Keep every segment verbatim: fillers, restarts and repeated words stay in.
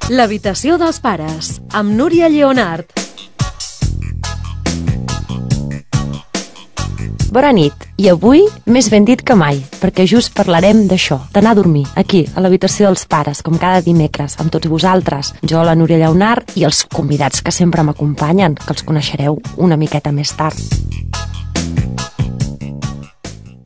L'habitació dels pares, amb Núria Lleonart. Bona nit, i avui més ben dit que mai, perquè just parlarem d'això, d'anar a dormir, aquí, a l'habitació dels pares, com cada dimecres, amb tots vosaltres, jo, la Núria Lleonart, i els convidats que sempre m'acompanyen, que els coneixereu una miqueta més tard.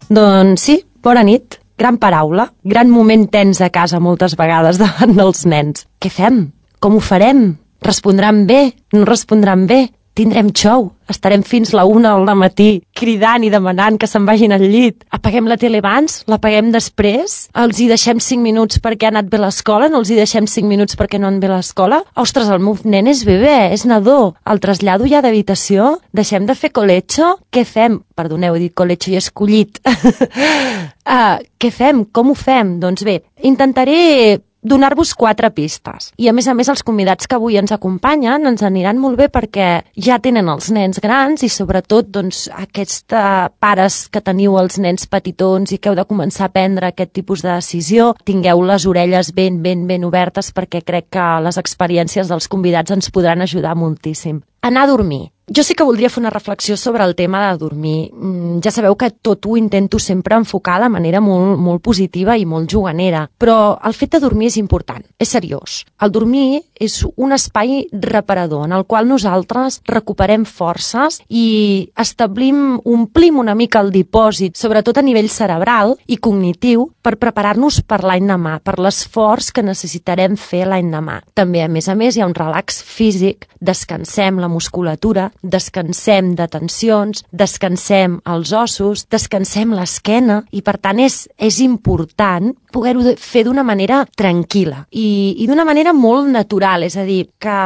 Doncs sí, bona nit, gran paraula, gran moment tens a casa moltes vegades davant dels nens. Què fem? Com ho farem? Respondran bé? No respondran bé? Tindrem xou, estarem fins la una del matí cridant i demanant que se'n vagin al llit. Apaguem la tele abans? L'apaguem després? Els hi deixem cinc minuts perquè ha anat bé a l'escola? No els hi deixem cinc minuts perquè no han bé a l'escola? Ostres, el meu nen és bebè, és nadó. El trasllado ja d'habitació? Deixem de fer colecho? Què fem? Perdoneu, he dit colecho i escollit. uh, què fem? Com ho fem? Doncs bé, intentaré donar-vos quatre pistes. I a més a més els convidats que avui ens acompanyen ens aniran molt bé perquè ja tenen els nens grans i sobretot doncs aquests pares que teniu els nens petitons i que heu de començar a prendre aquest tipus de decisió, tingueu les orelles ben, ben, ben obertes perquè crec que les experiències dels convidats ens podran ajudar moltíssim. Anar a dormir. Jo sí que voldria fer una reflexió sobre el tema de dormir. Ja sabeu que tot ho intento sempre enfocar de manera molt, molt positiva i molt juganera, però el fet de dormir és important, és seriós. El dormir és un espai reparador en el qual nosaltres recuperem forces i establim, omplim una mica el dipòsit, sobretot a nivell cerebral i cognitiu, per preparar-nos per l'any demà, per l'esforç que necessitarem fer l'any demà. També, a més a més, hi ha un relax físic, descansem la musculatura, descansem de tensions, descansem els ossos, descansem l'esquena i per tant és, és important poder-ho fer d'una manera tranquil·la i, i d'una manera molt natural, és a dir, que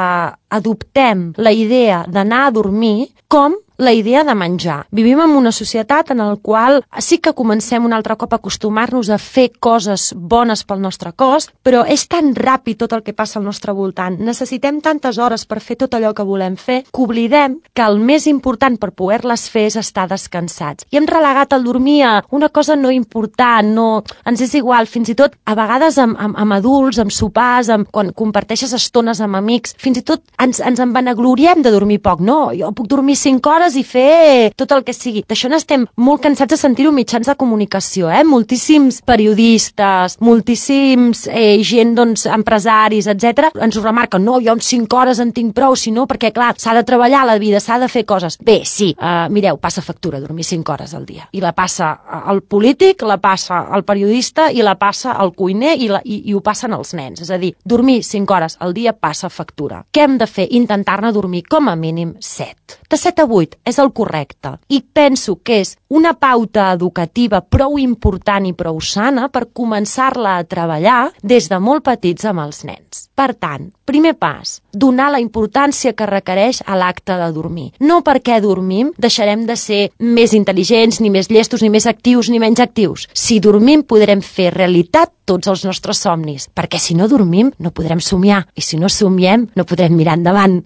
adoptem la idea d'anar a dormir com la idea de menjar. Vivim en una societat en la qual sí que comencem un altre cop a acostumar-nos a fer coses bones pel nostre cos, però és tan ràpid tot el que passa al nostre voltant. Necessitem tantes hores per fer tot allò que volem fer que oblidem que el més important per poder-les fer és estar descansats. I hem relegat el dormir a una cosa no important, no, ens és igual, fins i tot a vegades amb, amb, amb adults, amb sopars, amb, quan comparteixes estones amb amics, fins i tot ens, ens en vanagloriem de dormir poc. No, jo puc dormir cinc hores i fer tot el que sigui. D'això n'estem molt cansats de sentir-ho mitjans de comunicació, eh? Moltíssims periodistes, moltíssims eh, gent, doncs, empresaris, etcètera, ens ho remarquen. No, jo en cinc hores en tinc prou, sinó perquè, clar, s'ha de treballar la vida, s'ha de fer coses. Bé, sí, uh, mireu, passa factura dormir cinc hores al dia. I la passa el polític, la passa el periodista i la passa el cuiner i, la, i, i ho passen els nens. És a dir, dormir cinc hores al dia passa factura. Què hem de fer? Intentar-ne dormir com a mínim set. De set a vuit és el correcte. I penso que és una pauta educativa prou important i prou sana per començar-la a treballar des de molt petits amb els nens. Per tant, primer pas, donar la importància que requereix a l'acte de dormir. No perquè dormim deixarem de ser més intel·ligents, ni més llestos, ni més actius, ni menys actius. Si dormim podrem fer realitat tots els nostres somnis, perquè si no dormim no podrem somiar, i si no somiem no podrem mirar endavant.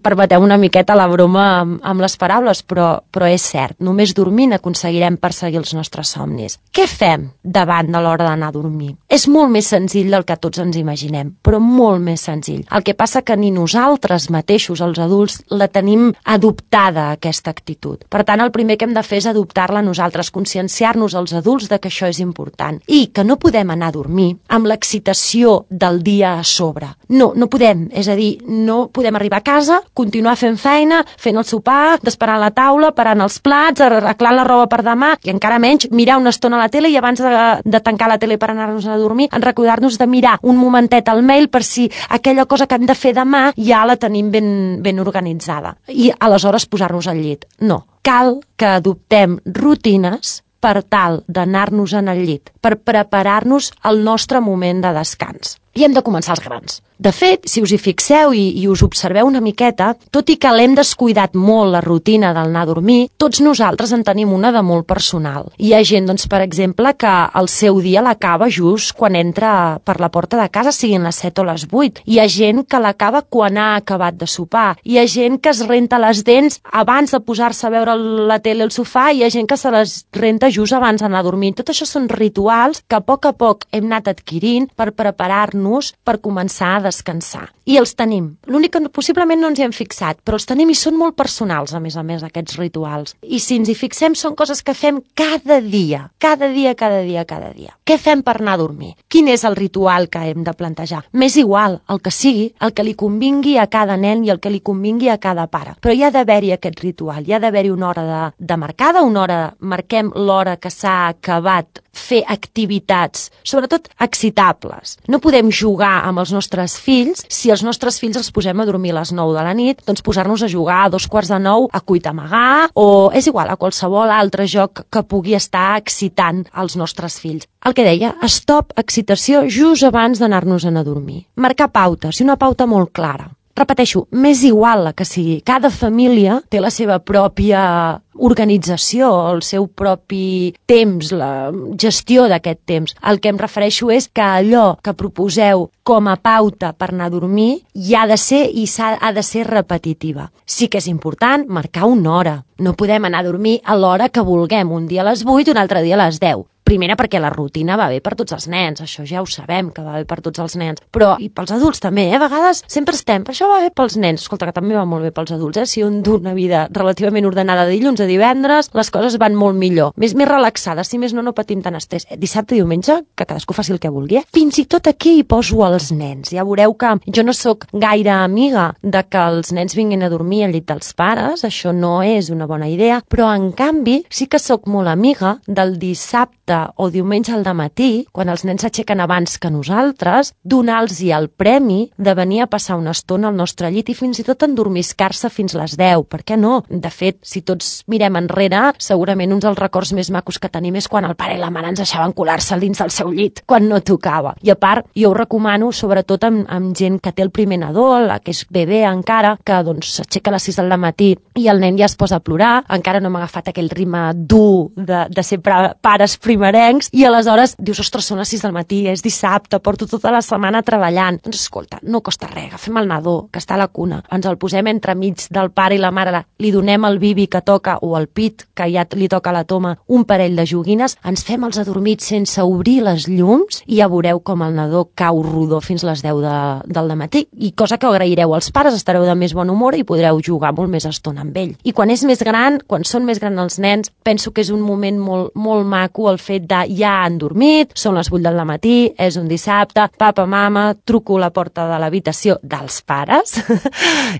Permeteu una miqueta la broma amb, amb les paraules, però, però és cert, només dormint aconseguirem perseguir els nostres somnis. Què fem davant de l'hora d'anar a dormir? És molt més senzill del que tots ens imaginem, però molt més senzill. El que passa que ni nosaltres mateixos, els adults, la tenim adoptada, aquesta actitud. Per tant, el primer que hem de fer és adoptar-la nosaltres, conscienciar-nos els adults de que això és important i que no podem anar a dormir amb l'excitació del dia a sobre. No, no podem, és a dir, no podem arribar a casa, continuar fent feina, fent el sopar, desparant la taula, parant els plats, arreglant la roba per demà i encara menys mirar una estona a la tele i abans de, de tancar la tele per anar-nos a dormir, en recordar-nos de mirar un momentet al mail per si aquella cosa que hem de fer demà ja la tenim ben, ben organitzada. I aleshores posar-nos al llit. No, cal que adoptem rutines per tal d'anar-nos en el llit, per preparar-nos al nostre moment de descans. I hem de començar els grans. De fet, si us hi fixeu i, i us observeu una miqueta, tot i que l'hem descuidat molt la rutina d'anar a dormir, tots nosaltres en tenim una de molt personal. Hi ha gent, doncs, per exemple, que el seu dia l'acaba just quan entra per la porta de casa, siguin les set o les vuit. Hi ha gent que l'acaba quan ha acabat de sopar. Hi ha gent que es renta les dents abans de posar-se a veure la tele al sofà, i hi ha gent que se les renta just abans d'anar a dormir. Tot això són rituals que a poc a poc hem anat adquirint per preparar-nos ajuntar-nos per començar a descansar. I els tenim. L'únic que possiblement no ens hi hem fixat, però els tenim i són molt personals, a més a més, aquests rituals. I si ens hi fixem, són coses que fem cada dia, cada dia, cada dia, cada dia. Què fem per anar a dormir? Quin és el ritual que hem de plantejar? M'és igual, el que sigui, el que li convingui a cada nen i el que li convingui a cada pare. Però hi ha d'haver-hi aquest ritual, hi ha d'haver-hi una hora de, de marcada, una hora, marquem l'hora que s'ha acabat fer activitats, sobretot excitables. No podem jugar amb els nostres fills si els nostres fills els posem a dormir a les nou de la nit, doncs posar-nos a jugar a dos quarts de nou a cuita amagar o, és igual, a qualsevol altre joc que pugui estar excitant els nostres fills. El que deia, stop excitació just abans d'anar-nos a dormir. Marcar pautes, i una pauta molt clara. Repeteixo, m'és igual la que sigui. Cada família té la seva pròpia organització, el seu propi temps, la gestió d'aquest temps. El que em refereixo és que allò que proposeu com a pauta per anar a dormir hi ha de ser i s'ha ha de ser repetitiva. Sí que és important marcar una hora. No podem anar a dormir a l'hora que vulguem, un dia a les vuit, un altre dia a les deu. Primera, perquè la rutina va bé per tots els nens, això ja ho sabem, que va bé per tots els nens, però i pels adults també, eh? A vegades sempre estem, però això va bé pels nens, escolta, que també va molt bé pels adults, eh? Si un du una vida relativament ordenada de dilluns a divendres, les coses van molt millor, més més relaxades, si més no, no patim tant estrès. Dissabte i diumenge, que cadascú faci el que vulgui, eh? Fins i tot aquí hi poso els nens, ja veureu que jo no sóc gaire amiga de que els nens vinguin a dormir al llit dels pares, això no és una bona idea, però en canvi sí que sóc molt amiga del dissabte o diumenge al dematí, quan els nens s'aixequen abans que nosaltres, donar-los-hi el premi de venir a passar una estona al nostre llit i fins i tot endormiscar-se fins les deu. Per què no? De fet, si tots mirem enrere, segurament uns dels records més macos que tenim és quan el pare i la mare ens deixaven colar-se dins del seu llit, quan no tocava. I a part, jo ho recomano sobretot amb, amb gent que té el primer nadó, la que és bebè encara, que doncs s'aixeca a les sis del matí i el nen ja es posa a plorar, encara no m'ha agafat aquell ritme dur de, de ser pares primerencs, i aleshores dius, ostres, són les sis del matí, és dissabte, porto tota la setmana treballant. Doncs escolta, no costa res, agafem el nadó, que està a la cuna, ens el posem entremig del pare i la mare, li donem el bibi que toca, o el pit, que ja li toca a la toma, un parell de joguines, ens fem els adormits sense obrir les llums, i ja veureu com el nadó cau rodó fins les deu de, del matí, i cosa que ho agraireu als pares, estareu de més bon humor i podreu jugar molt més estona amb ell. I quan és més gran, quan són més grans els nens, penso que és un moment molt, molt maco el fet de ja han dormit, són les vuit del matí, és un dissabte, papa, mama, truco a la porta de l'habitació dels pares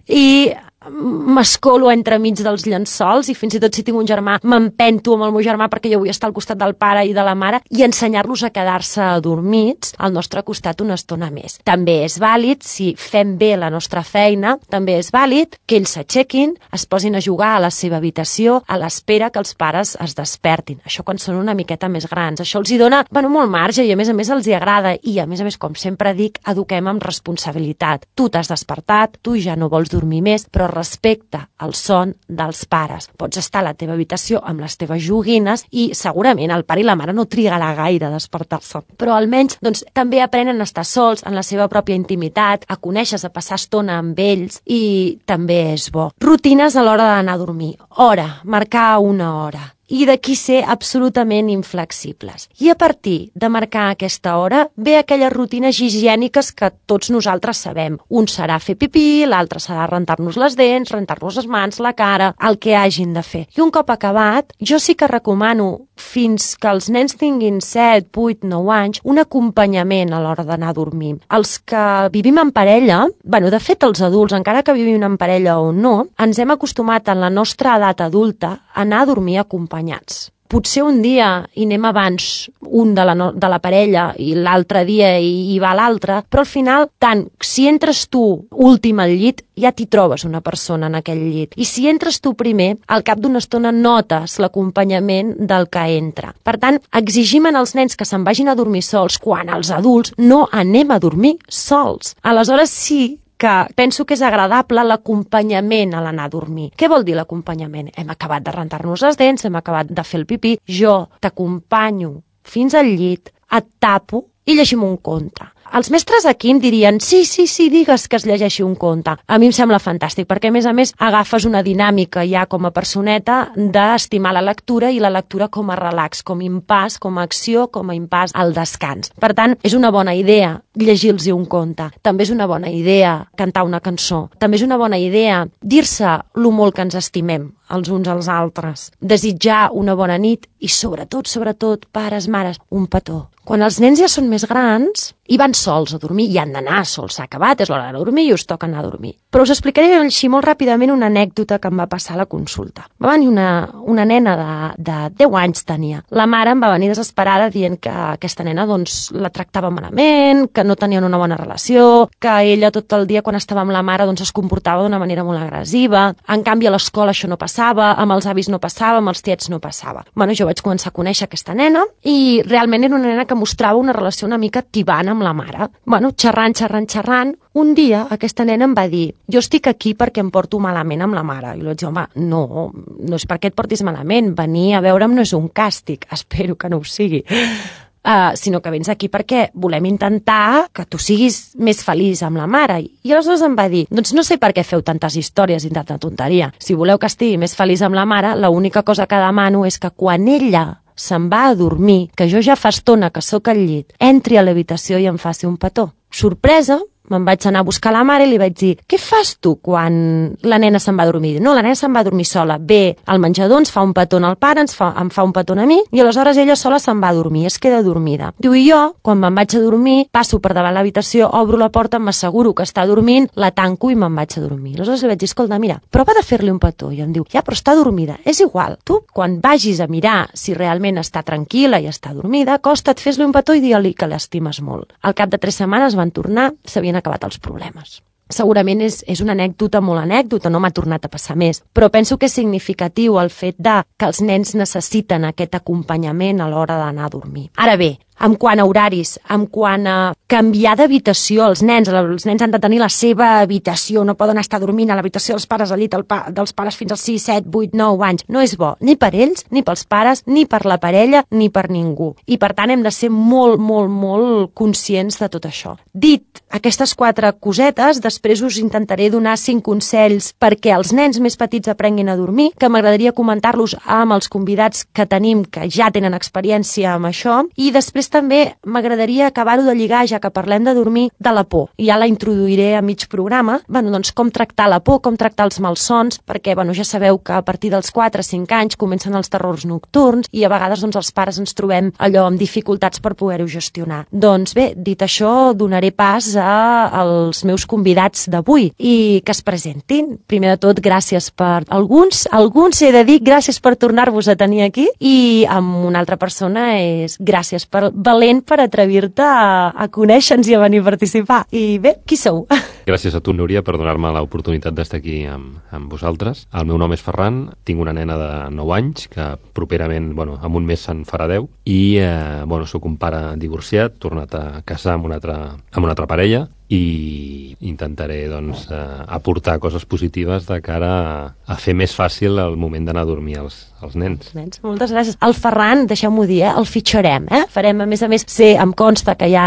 i m'escolo entremig dels llençols i fins i tot si tinc un germà m'empento amb el meu germà perquè jo vull estar al costat del pare i de la mare i ensenyar-los a quedar-se adormits al nostre costat una estona més. També és vàlid, si fem bé la nostra feina, també és vàlid que ells s'aixequin, es posin a jugar a la seva habitació a l'espera que els pares es despertin. Això quan són una miqueta més grans. Això els hi dona, bueno, molt marge i a més a més els hi agrada i a més a més, com sempre dic, eduquem amb responsabilitat. Tu t'has despertat, tu ja no vols dormir més, però respecte al son dels pares. Pots estar a la teva habitació amb les teves joguines i segurament el pare i la mare no trigarà gaire a despertar-se. Però almenys doncs, també aprenen a estar sols en la seva pròpia intimitat, a conèixer, a passar estona amb ells i també és bo. Rutines a l'hora d'anar a dormir. Hora, marcar una hora. I d'aquí ser absolutament inflexibles. I a partir de marcar aquesta hora ve aquelles rutines higièniques que tots nosaltres sabem. Un serà fer pipí, l'altre serà rentar-nos les dents, rentar-nos les mans, la cara, el que hagin de fer. I un cop acabat, jo sí que recomano, fins que els nens tinguin set, vuit, nou anys, un acompanyament a l'hora d'anar a dormir. Els que vivim en parella, bueno, de fet els adults, encara que vivim en parella o no, ens hem acostumat en la nostra edat adulta a anar a dormir acompanyats. Potser un dia hi anem abans un de la, no, de la parella i l'altre dia hi, hi va l'altre, però al final, tant si entres tu últim al llit, ja t'hi trobes una persona en aquell llit. I si entres tu primer, al cap d'una estona notes l'acompanyament del que entra. Per tant, exigim en els nens que se'n vagin a dormir sols quan els adults no anem a dormir sols. Aleshores sí que penso que és agradable l'acompanyament a l'anar a dormir. Què vol dir l'acompanyament? Hem acabat de rentar-nos les dents, hem acabat de fer el pipí, jo t'acompanyo fins al llit, et tapo i llegim un conte. els mestres aquí em dirien sí, sí, sí, digues que es llegeixi un conte. A mi em sembla fantàstic, perquè a més a més agafes una dinàmica ja com a personeta d'estimar la lectura i la lectura com a relax, com a impàs, com a acció, com a impàs al descans. Per tant, és una bona idea llegir-los un conte. També és una bona idea cantar una cançó. També és una bona idea dir-se lo molt que ens estimem els uns als altres. Desitjar una bona nit i sobretot, sobretot, pares, mares, un petó. Quan els nens ja són més grans i van sols a dormir, i han d'anar sols, s'ha acabat, és l'hora de dormir i us toca anar a dormir. Però us explicaré així molt ràpidament una anècdota que em va passar a la consulta. Va venir una, una nena de, de deu anys tenia. La mare em va venir desesperada dient que aquesta nena doncs, la tractava malament, que no tenien una bona relació, que ella tot el dia quan estava amb la mare doncs, es comportava d'una manera molt agressiva. En canvi a l'escola això no passava, amb els avis no passava, amb els tiets no passava. Bueno, jo vaig començar a conèixer aquesta nena i realment era una nena que mostrava una relació una mica tibant amb la mare. Bueno, xerrant, xerrant, xerrant, un dia aquesta nena em va dir jo estic aquí perquè em porto malament amb la mare. I jo vaig dir, home, no, no és perquè et portis malament, venir a veure'm no és un càstig, espero que no ho sigui. Uh, sinó que vens aquí perquè volem intentar que tu siguis més feliç amb la mare. I aleshores em va dir, doncs no sé per què feu tantes històries i tanta tonteria. Si voleu que estigui més feliç amb la mare, l'única cosa que demano és que quan ella se'n va a dormir, que jo ja fa estona que sóc al llit, entri a l'habitació i em faci un petó. Sorpresa, me'n vaig anar a buscar la mare i li vaig dir què fas tu quan la nena se'n va a dormir? No, la nena se'n va a dormir sola. Ve al menjador, ens fa un petó al pare, ens fa, em fa un petó a mi i aleshores ella sola se'n va a dormir, es queda dormida. Diu, i jo, quan me'n vaig a dormir, passo per davant l'habitació, obro la porta, m'asseguro que està dormint, la tanco i me'n vaig a dormir. Aleshores li vaig dir, escolta, mira, prova de fer-li un petó. I em diu, ja, però està dormida. És igual. Tu, quan vagis a mirar si realment està tranquil·la i està dormida, acosta't, fes-li un petó i digue-li que l'estimes molt. Al cap de tres setmanes van tornar, s'havien acabat els problemes. Segurament és, és una anècdota molt anècdota, no m'ha tornat a passar més, però penso que és significatiu el fet de que els nens necessiten aquest acompanyament a l'hora d'anar a dormir. Ara bé, en quant a horaris, en quant a canviar d'habitació, els nens, els nens han de tenir la seva habitació, no poden estar dormint a l'habitació dels pares al llit pa, dels pares fins als sis, set, vuit, nou anys. No és bo, ni per ells, ni pels pares, ni per la parella, ni per ningú. I per tant hem de ser molt, molt, molt conscients de tot això. Dit aquestes quatre cosetes, després us intentaré donar cinc consells perquè els nens més petits aprenguin a dormir, que m'agradaria comentar-los amb els convidats que tenim, que ja tenen experiència amb això, i després també m'agradaria acabar-ho de lligar, ja que parlem de dormir, de la por. I ja la introduiré a mig programa, bueno, doncs com tractar la por, com tractar els malsons, perquè bueno, ja sabeu que a partir dels quatre o cinc anys comencen els terrors nocturns i a vegades doncs, els pares ens trobem allò amb dificultats per poder-ho gestionar. Doncs bé, dit això, donaré pas a, als meus convidats d'avui i que es presentin. Primer de tot, gràcies per alguns, alguns he de dir, gràcies per tornar-vos a tenir aquí i amb una altra persona és gràcies per valent per atrevir-te a, a conèixer-nos i a venir a participar. I bé, qui sou? Gràcies a tu, Núria, per donar-me l'oportunitat d'estar aquí amb, amb vosaltres. El meu nom és Ferran, tinc una nena de nou anys, que properament, bueno, en un mes se'n farà deu, i eh, bueno, sóc un pare divorciat, tornat a casar amb una altra, amb una altra parella, i intentaré doncs, eh, aportar coses positives de cara a, a fer més fàcil el moment d'anar a dormir als, als nens. nens. Moltes gràcies. El Ferran, deixeu-m'ho dir, eh? El fitxarem. Eh? Farem, a més a més, sé, em consta que hi ha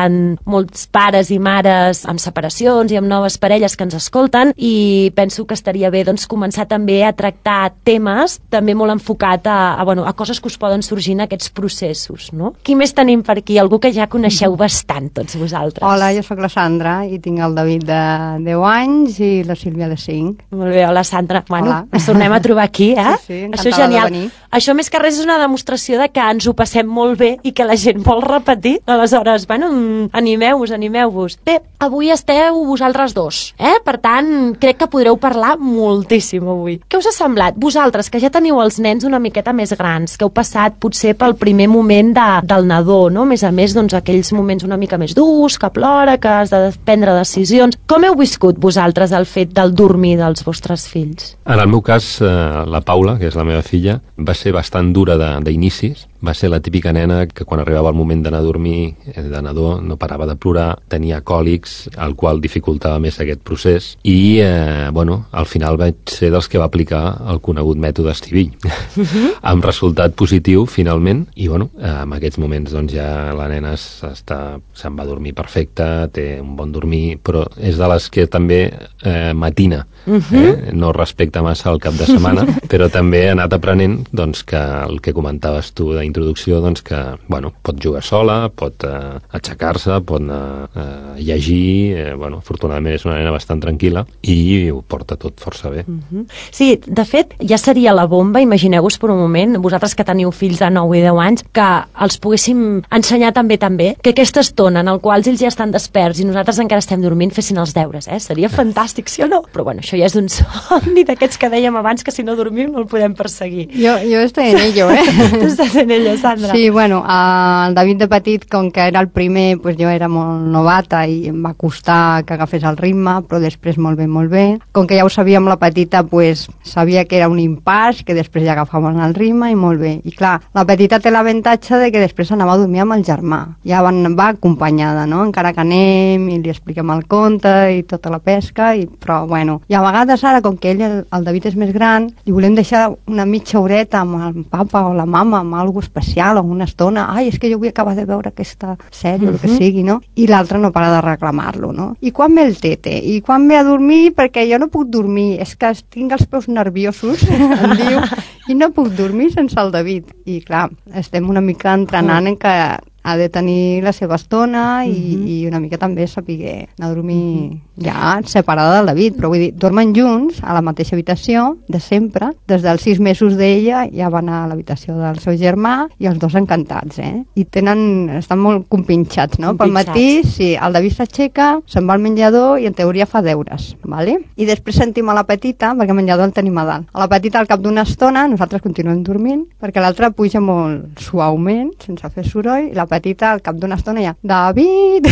molts pares i mares amb separacions i amb noves parelles que ens escolten i penso que estaria bé doncs, començar també a tractar temes també molt enfocat a, a, bueno, a coses que us poden sorgir en aquests processos. No? Qui més tenim per aquí? Algú que ja coneixeu bastant, tots vosaltres. Hola, jo sóc la Sandra i tinc el David de deu anys i la Sílvia de cinc. Molt bé, hola Sandra. Bueno, hola. Ens tornem a trobar aquí, eh? Sí, sí, això és genial. Això més que res és una demostració de que ens ho passem molt bé i que la gent vol repetir. Aleshores, bueno, animeu-vos, animeu-vos. Bé, avui esteu vosaltres dos, eh? Per tant, crec que podreu parlar moltíssim avui. Què us ha semblat? Vosaltres, que ja teniu els nens una miqueta més grans, que heu passat potser pel primer moment de, del nadó, no? A més a més, doncs, aquells moments una mica més durs, que plora, que has de prendre decisions. Com heu viscut vosaltres el fet del dormir dels vostres fills? En el meu cas, eh, la Paula, que és la meva filla, va ser bastant dura d'inicis, va ser la típica nena que quan arribava el moment d'anar a dormir, de nadó, no parava de plorar, tenia còlics, el qual dificultava més aquest procés, i, eh, bueno, al final vaig ser dels que va aplicar el conegut mètode estivill, uh-huh. amb resultat positiu, finalment, i, bueno, en aquests moments, doncs, ja la nena està, se'n va dormir perfecta, té un bon dormir, però és de les que també eh, matina, uh-huh. eh? No respecta massa el cap de setmana, però també ha anat aprenent, doncs, que el que comentaves tu d'introducció, doncs, que, bueno, pot jugar sola, pot eh, aixecar-se, pot anar a eh, llegir, eh, bueno, afortunadament és una nena bastant tranquil·la i ho porta tot força bé. Uh-huh. Sí, de fet, ja seria la bomba, imagineu-vos per un moment, vosaltres que teniu fills de nou i deu anys, que els poguéssim ensenyar també també, que aquesta estona en el qual ells ja estan desperts i nosaltres encara estem dormint fessin els deures, eh? Seria fantàstic, sí o no? Però bueno, això ja és un somni d'aquests que dèiem abans que si no dormim no el podem perseguir. Jo, jo estoy en ello, eh? Tu estàs en ello, Sandra. Sí, bueno, el David de petit, com que era el primer, pues jo era molt novata i em va costar que agafés el ritme, però després molt bé, molt bé. Com que ja ho sabíem la petita, pues sabia que era un impàs, que després ja agafaven el ritme i molt bé. I clar, la petita té l'avantatge de que després anava a dormir amb el germà. Ja van, va acompanyada, no? Encara que anem i li expliquem el conte i tota la pesca, i, però bueno. I a vegades ara, com que ell, el, el David és més gran, li volem deixar una mitja horeta amb el papa o la mama, amb alguna especial, o una estona. Ai, és que jo vull acabar de veure aquesta sèrie, uh-huh. o el que sigui, no? I l'altre no para de reclamar-lo, no? I quan ve el tete? I quan ve a dormir? Perquè jo no puc dormir, és que tinc els peus nerviosos, em diu, i no puc dormir sense el David. I clar, estem una mica entrenant uh-huh. en que ha de tenir la seva estona i, uh-huh. i una mica també saber anar a dormir uh-huh. ja separada del David, però vull dir, dormen junts a la mateixa habitació de sempre, des dels sis mesos d'ella ja van a l'habitació del seu germà i els dos encantats, eh? I tenen, estan molt compinxats, no? Pel matí, sí, el David s'aixeca, se'n va al menjador i en teoria fa deures, vale? I després sentim a la petita, perquè el menjador el tenim a dalt. A la petita al cap d'una estona nosaltres continuem dormint, perquè l'altra puja molt suaument, sense fer soroll, i la petita al cap d'una estona ja, David,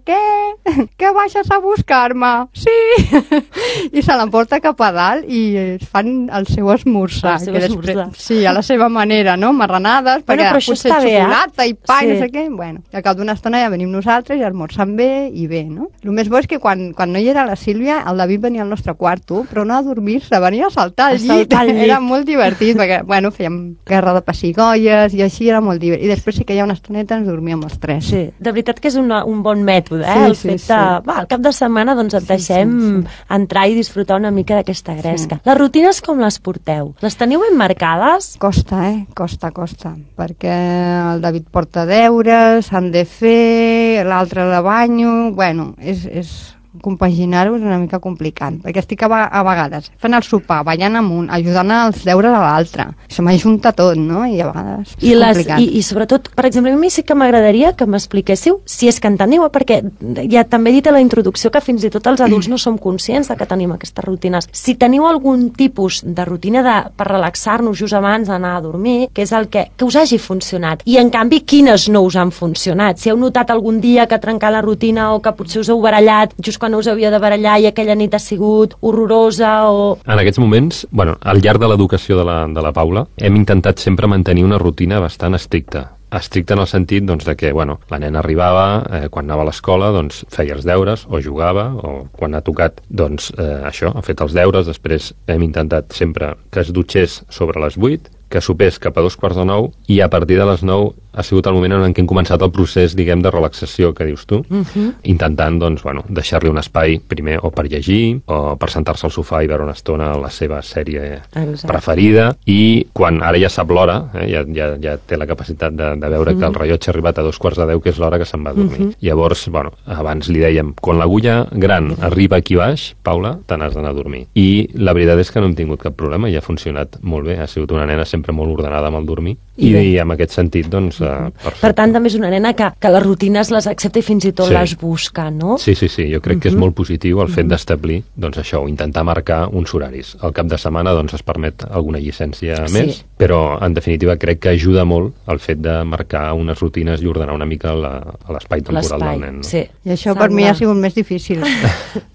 què? Què baixes a buscar-me? Sí! I se l'emporta cap a dalt i es fan el seu esmorzar. El seu esmorzar. Sí, a la seva manera, no? Marranades, bueno, perquè potser xocolata eh? i pa sí. i no sé què. Bueno, i al cap d'una estona ja venim nosaltres i esmorzam bé i bé, no? El més bo és que quan, quan no hi era la Sílvia, el David venia al nostre quarto, però no a dormir-se, venia a saltar al llit. Saltar al llit. Era molt divertit, perquè, bueno, fèiem guerra de pessigolles i així era molt divertit. I després sí que hi ha una estoneta ens dormíem els tres. Sí, de veritat que és una, un bon mètode, eh? Sí, el sí, fet sí. de... Va, al cap de setmana doncs et sí, deixem sí, sí. entrar i disfrutar una mica d'aquesta gresca. Sí. Les rutines com les porteu? Les teniu ben marcades? Costa, eh? Costa, costa. Perquè el David porta deures, s'han de fer, l'altre de banyo... Bueno, és... és... compaginar-ho és una mica complicat, perquè estic a, a vegades fent el sopar, ballant amunt, ajudant als deures a l'altre. Se m'ajunta tot, no? I a vegades és I les, complicat. I, I sobretot, per exemple, a mi sí que m'agradaria que m'expliquéssiu si és que en teniu, perquè ja també he dit a la introducció que fins i tot els adults no som conscients de que tenim aquestes rutines. Si teniu algun tipus de rutina de, per relaxar-nos just abans d'anar a dormir, que és el que, que us hagi funcionat, i en canvi quines no us han funcionat. Si heu notat algun dia que trencar la rutina o que potser us heu barallat just quan us havia de barallar i aquella nit ha sigut horrorosa o... En aquests moments, bueno, al llarg de l'educació de la, de la Paula, hem intentat sempre mantenir una rutina bastant estricta. Estricta en el sentit doncs, de que bueno, la nena arribava, eh, quan anava a l'escola doncs, feia els deures o jugava, o quan ha tocat doncs, eh, això, ha fet els deures. Després hem intentat sempre que es dutxés sobre les vuit, que sopés cap a dos quarts de nou, i a partir de les nou ha sigut el moment en què hem començat el procés, diguem, de relaxació que dius tu, uh-huh. intentant doncs, bueno, deixar-li un espai primer o per llegir o per sentar-se al sofà i veure una estona la seva sèrie Exacte. preferida, i quan ara ja sap l'hora, eh, ja, ja, ja té la capacitat de, de veure uh-huh. que el rellotge ha arribat a dos quarts de deu, que és l'hora que se'n va a dormir. Uh-huh. Llavors, bueno, abans li dèiem, quan l'agulla gran uh-huh. arriba aquí baix, Paula, te n'has d'anar a dormir. I la veritat és que no hem tingut cap problema i ha funcionat molt bé, ha sigut una nena sempre molt ordenada amb el dormir, i, i en aquest sentit, doncs, uh, perfecte. Per tant, també és una nena que, que les rutines les accepta i fins i tot sí. les busca, no? Sí, sí, sí, jo crec uh-huh. que és molt positiu el fet uh-huh. d'establir, doncs això, intentar marcar uns horaris. Al cap de setmana, doncs, es permet alguna llicència sí. més, però, en definitiva, crec que ajuda molt el fet de marcar unes rutines i ordenar una mica la, l'espai temporal del nen. No? Sí. I això Sandra. Per mi ha sigut més difícil,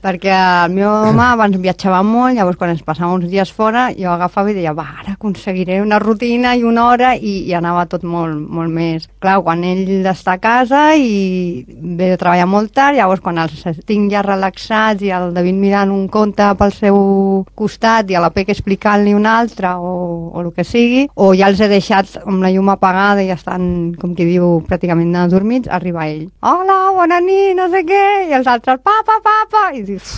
perquè el meu home abans viatjava molt, llavors quan ens passàvem uns dies fora, jo agafava i deia, va, ara aconseguiré una rutina i una hora, i i, i anava tot molt, molt més. Clar, quan ell està a casa i ve de treballar molt tard, llavors quan els tinc ja relaxats i el David mirant un conte pel seu costat i a la Peca explicant-li un altre o, o el que sigui, o ja els he deixat amb la llum apagada i estan, com qui diu, pràcticament adormits, arriba ell. Hola, bona nit, no sé què, i els altres, papa, papa, i dius,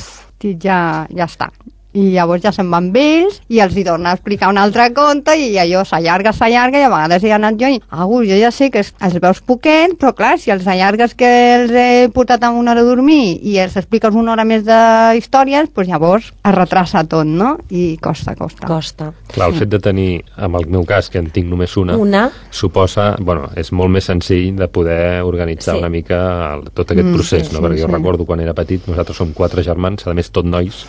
ja, ja està. I llavors ja se'n van amb ells i els hi torna a explicar un altre conte i allò s'allarga, s'allarga i a vegades hi ha anat jo i Agus, jo ja sé que els veus poquet, però clar, si els allargues que els he portat a una hora a dormir i els expliques una hora més de històries, doncs llavors es retrasa tot, no? I costa, costa. Costa. Clar, el fet de tenir, en el meu cas, que en tinc només una, una. suposa, bueno, és molt més senzill de poder organitzar sí. una mica el, tot aquest mm, procés, sí, no? Sí, Perquè sí. jo recordo quan era petit, nosaltres som quatre germans, a més tot nois,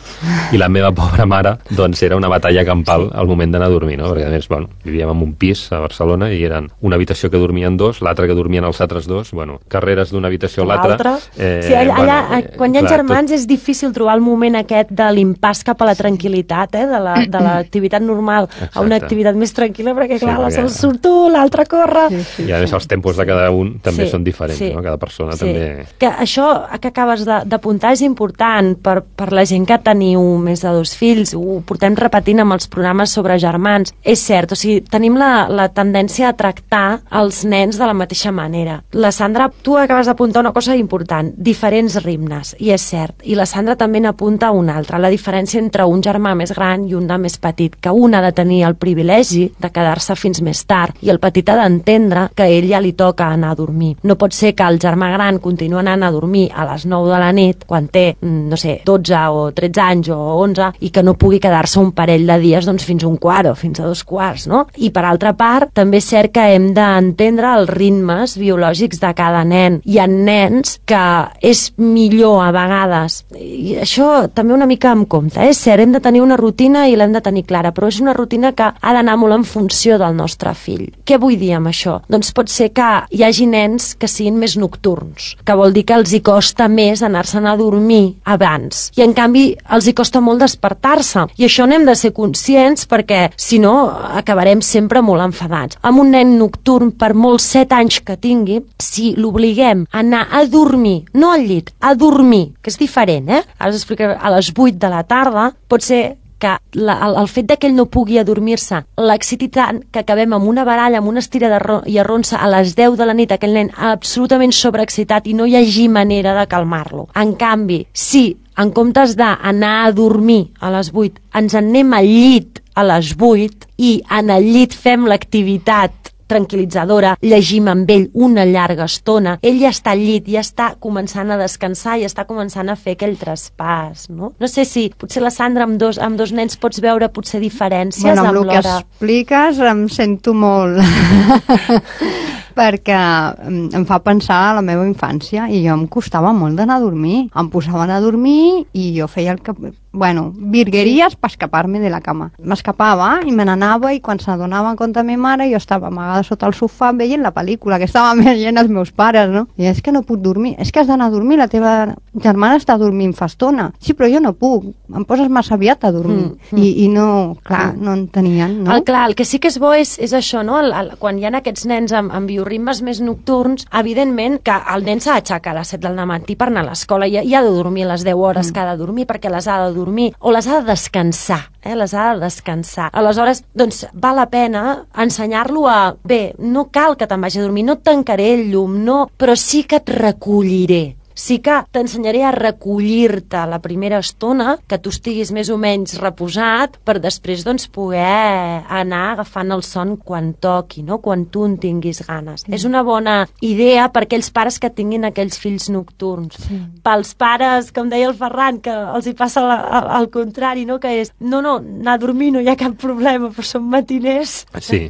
i la meva pobra mare, doncs era una batalla campal al moment d'anar a dormir, no? Perquè a més, bueno, vivíem en un pis a Barcelona i eren una habitació que dormien dos, l'altra que dormien els altres dos, bueno, carreres d'una habitació a l'altra. Eh, sí, allà, bueno, allà eh, quan hi ha clar, germans tot... és difícil trobar el moment aquest de l'impàs cap a la tranquil·litat, eh, de la- de l'activitat normal Exacte. a una activitat més tranquil·la, perquè clar, Sí, la perquè- se'l surt tu, l'altre corre... Sí, sí, I a més els tempos de cada un també Sí, són diferents, sí, no? Cada persona sí. també... Que això que acabes de- d'apuntar és important per, per la gent que teniu més de dos fills, ho portem repetint amb els programes sobre germans. És cert, o sigui, tenim la, la tendència a tractar els nens de la mateixa manera. La Sandra, tu acabes d'apuntar una cosa important, diferents ritmes, i és cert. I la Sandra també n'apunta una altra, la diferència entre un germà més gran i un de més petit, que un ha de tenir el privilegi de quedar-se fins més tard, i el petit ha d'entendre que a ell ja li toca anar a dormir. No pot ser que el germà gran continua anant a dormir a les nou de la nit, quan té, no sé, dotze o tretze anys o onze, i que no pugui quedar-se un parell de dies doncs, fins a un quart o fins a dos quarts, no? I per altra part, també és cert que hem d'entendre els ritmes biològics de cada nen. Hi ha nens que és millor a vegades, i això també una mica en compte, eh? És cert, hem de tenir una rutina i l'hem de tenir clara, però és una rutina que ha d'anar molt en funció del nostre fill. Què vull dir amb això? Doncs pot ser que hi hagi nens que siguin més nocturns, que vol dir que els hi costa més anar-se'n a dormir abans, i en canvi els hi costa molt despertar-se, i això n'hem de ser conscients perquè si no acabarem sempre molt enfadats. Amb un nen nocturn, per molts set anys que tingui, si l'obliguem a anar a dormir, no al llit, a dormir, que és diferent, eh? Ara us explicaré, a les vuit de la tarda, pot ser que la, el, el fet de que ell no pugui adormir-se l'exciti tant que acabem amb una baralla, amb una estira de ro i arronsa a les deu de la nit, aquell nen absolutament sobreexcitat i no hi hagi manera de calmar-lo. En canvi, si en comptes d'anar a dormir a les vuit, ens en anem al llit a les vuit i en el llit fem l'activitat tranquil·litzadora, llegim amb ell una llarga estona, ell ja està al llit, ja està començant a descansar, ja està començant a fer aquell traspàs, no? No sé si potser la Sandra amb dos, amb dos nens pots veure potser diferències bueno, amb, amb amb el que l'hora... expliques em sento molt perquè em fa pensar a la meva infància i jo em costava molt d'anar a dormir, em posaven a dormir i jo feia el que... bueno, virgueries per escapar-me de la cama. M'escapava i me n'anava i quan s'adonava en compte meva mare jo estava amagada sota el sofà veient la pel·lícula que estava veient els meus pares, no? I és que no puc dormir, és que has d'anar a dormir, la teva germana està dormint fa estona. Sí, però jo no puc, em poses massa aviat a dormir. Mm, mm. I, I no, clar, no en tenien, no? El, clar, el que sí que és bo és, és això, no? El, el, quan hi ha aquests nens amb, amb bioritmes més nocturns, evidentment que el nen s'ha d'aixecar a les set del matí per anar a l'escola i, i ha de dormir les deu hores mm. que ha de dormir perquè les ha de dormir, o les ha de descansar, eh? les ha de descansar. Aleshores, doncs, val la pena ensenyar-lo a, bé, no cal que te'n vagi a dormir, no et tancaré el llum, no, però sí que et recolliré. Sí que t'ensenyaré a recollir-te la primera estona, que tu estiguis més o menys reposat, per després doncs, poder anar agafant el son quan toqui, no? Quan tu en tinguis ganes. Sí. És una bona idea per aquells pares que tinguin aquells fills nocturns. Sí. Pels pares, com deia el Ferran, que els hi passa la, al contrari, no? Que és, no, no, anar a dormir no hi ha cap problema, però som matiners. Sí.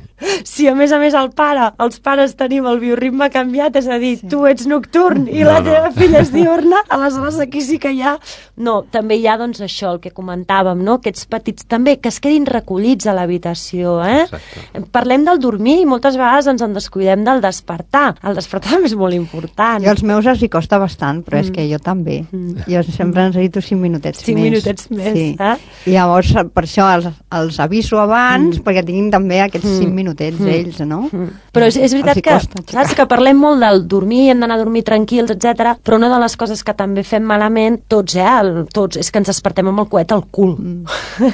Si a més a més el pare, els pares tenim el bioritme canviat, és a dir, sí. tu ets nocturn i no, la teva no. filla és diurna, aleshores aquí sí que hi ha... No, també hi ha, doncs, això, el que comentàvem, no? Aquests petits, també, que es quedin recollits a l'habitació, eh? Exacte. Parlem del dormir i moltes vegades ens en descuidem del despertar. El despertar també és molt important. Jo als meus els hi costa bastant, però mm. és que jo també. Mm. Jo sempre necessito cinc minutets cinc més. Cinc minutets més, sí. eh? I llavors, per això els, els aviso abans, mm. perquè tinguin també aquests cinc minutets mm. ells, no? Mm. Però és, és veritat que, costa, saps, que parlem molt del dormir, hem d'anar a dormir tranquils, etcètera. Però una de les coses que també fem malament, tots, eh, el, tots, és que ens despertem amb el coet al cul. Mm.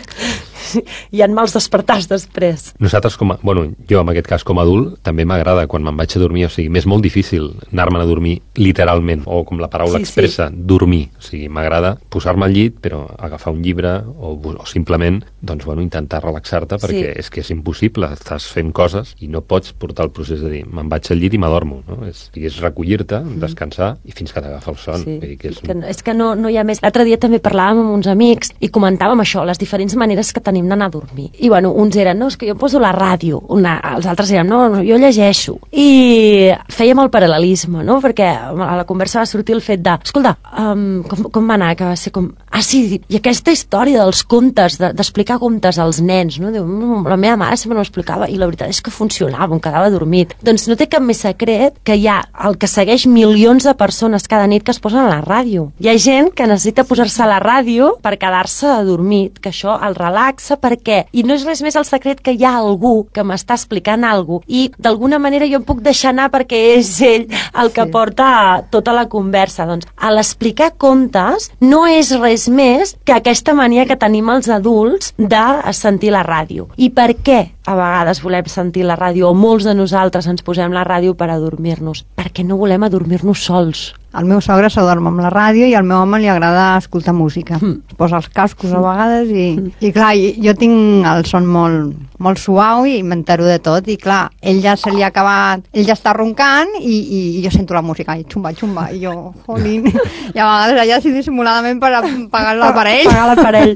Hi ha mals despertars després. Nosaltres, com a, bueno, jo en aquest cas com a adult, també m'agrada quan me'n vaig a dormir, o sigui, m'és molt difícil anar-me'n a dormir literalment, o com la paraula sí, expressa, sí. dormir. O sigui, m'agrada posar-me al llit, però agafar un llibre, o, o simplement, doncs, bueno, intentar relaxar-te, perquè sí. és que és impossible, estàs fent coses i no pots portar el procés de dir, me'n vaig al llit i m'adormo, no? És, és recollir-te, mm. descansar, i fins que t'agafa el son. Sí. Vull dir que és... Que, és que no, no hi ha més. L'altre dia també parlàvem amb uns amics i comentàvem això, les diferents maneres que tenim d'anar a dormir. I bueno, uns eren, no, és que jo poso la ràdio, una, els altres eren, no, no, jo llegeixo. I fèiem el paral·lelisme, no? Perquè a la conversa va sortir el fet de, escolta, um, com, com va anar? Que va ser com, ah, sí, i aquesta història dels contes, d'explicar contes als nens, no? Diu, la meva mare sempre m'explicava i la veritat és que funcionava, em quedava dormit. Doncs no té cap més secret que hi ha el que segueix milions de persones cada nit que es posen a la ràdio. Hi ha gent que necessita posar-se a la ràdio per quedar-se adormit, que això el relaxa perquè, i no és res més el secret que hi ha algú que m'està explicant alguna cosa i d'alguna manera jo em puc deixar anar perquè és ell el que sí. porta tota la conversa. Doncs a l'explicar contes no és res més que aquesta mania que tenim els adults de sentir la ràdio. I per què a vegades volem sentir la ràdio, o molts de nosaltres ens posem la ràdio per adormir-nos? Perquè no volem adormir-nos sols. El meu sogre s'adorm amb la ràdio i al meu home li agrada escoltar música. Mm. Es posa els cascos a vegades i, mm. i clar, jo tinc el son molt, molt suau i m'entero de tot i clar, ell ja se li ha acabat, ell ja està roncant i, i, i jo sento la música i xumba, xumba, i jo, jolín, i a vegades allà sí dissimuladament per pagar l'aparell. Pagar l'aparell.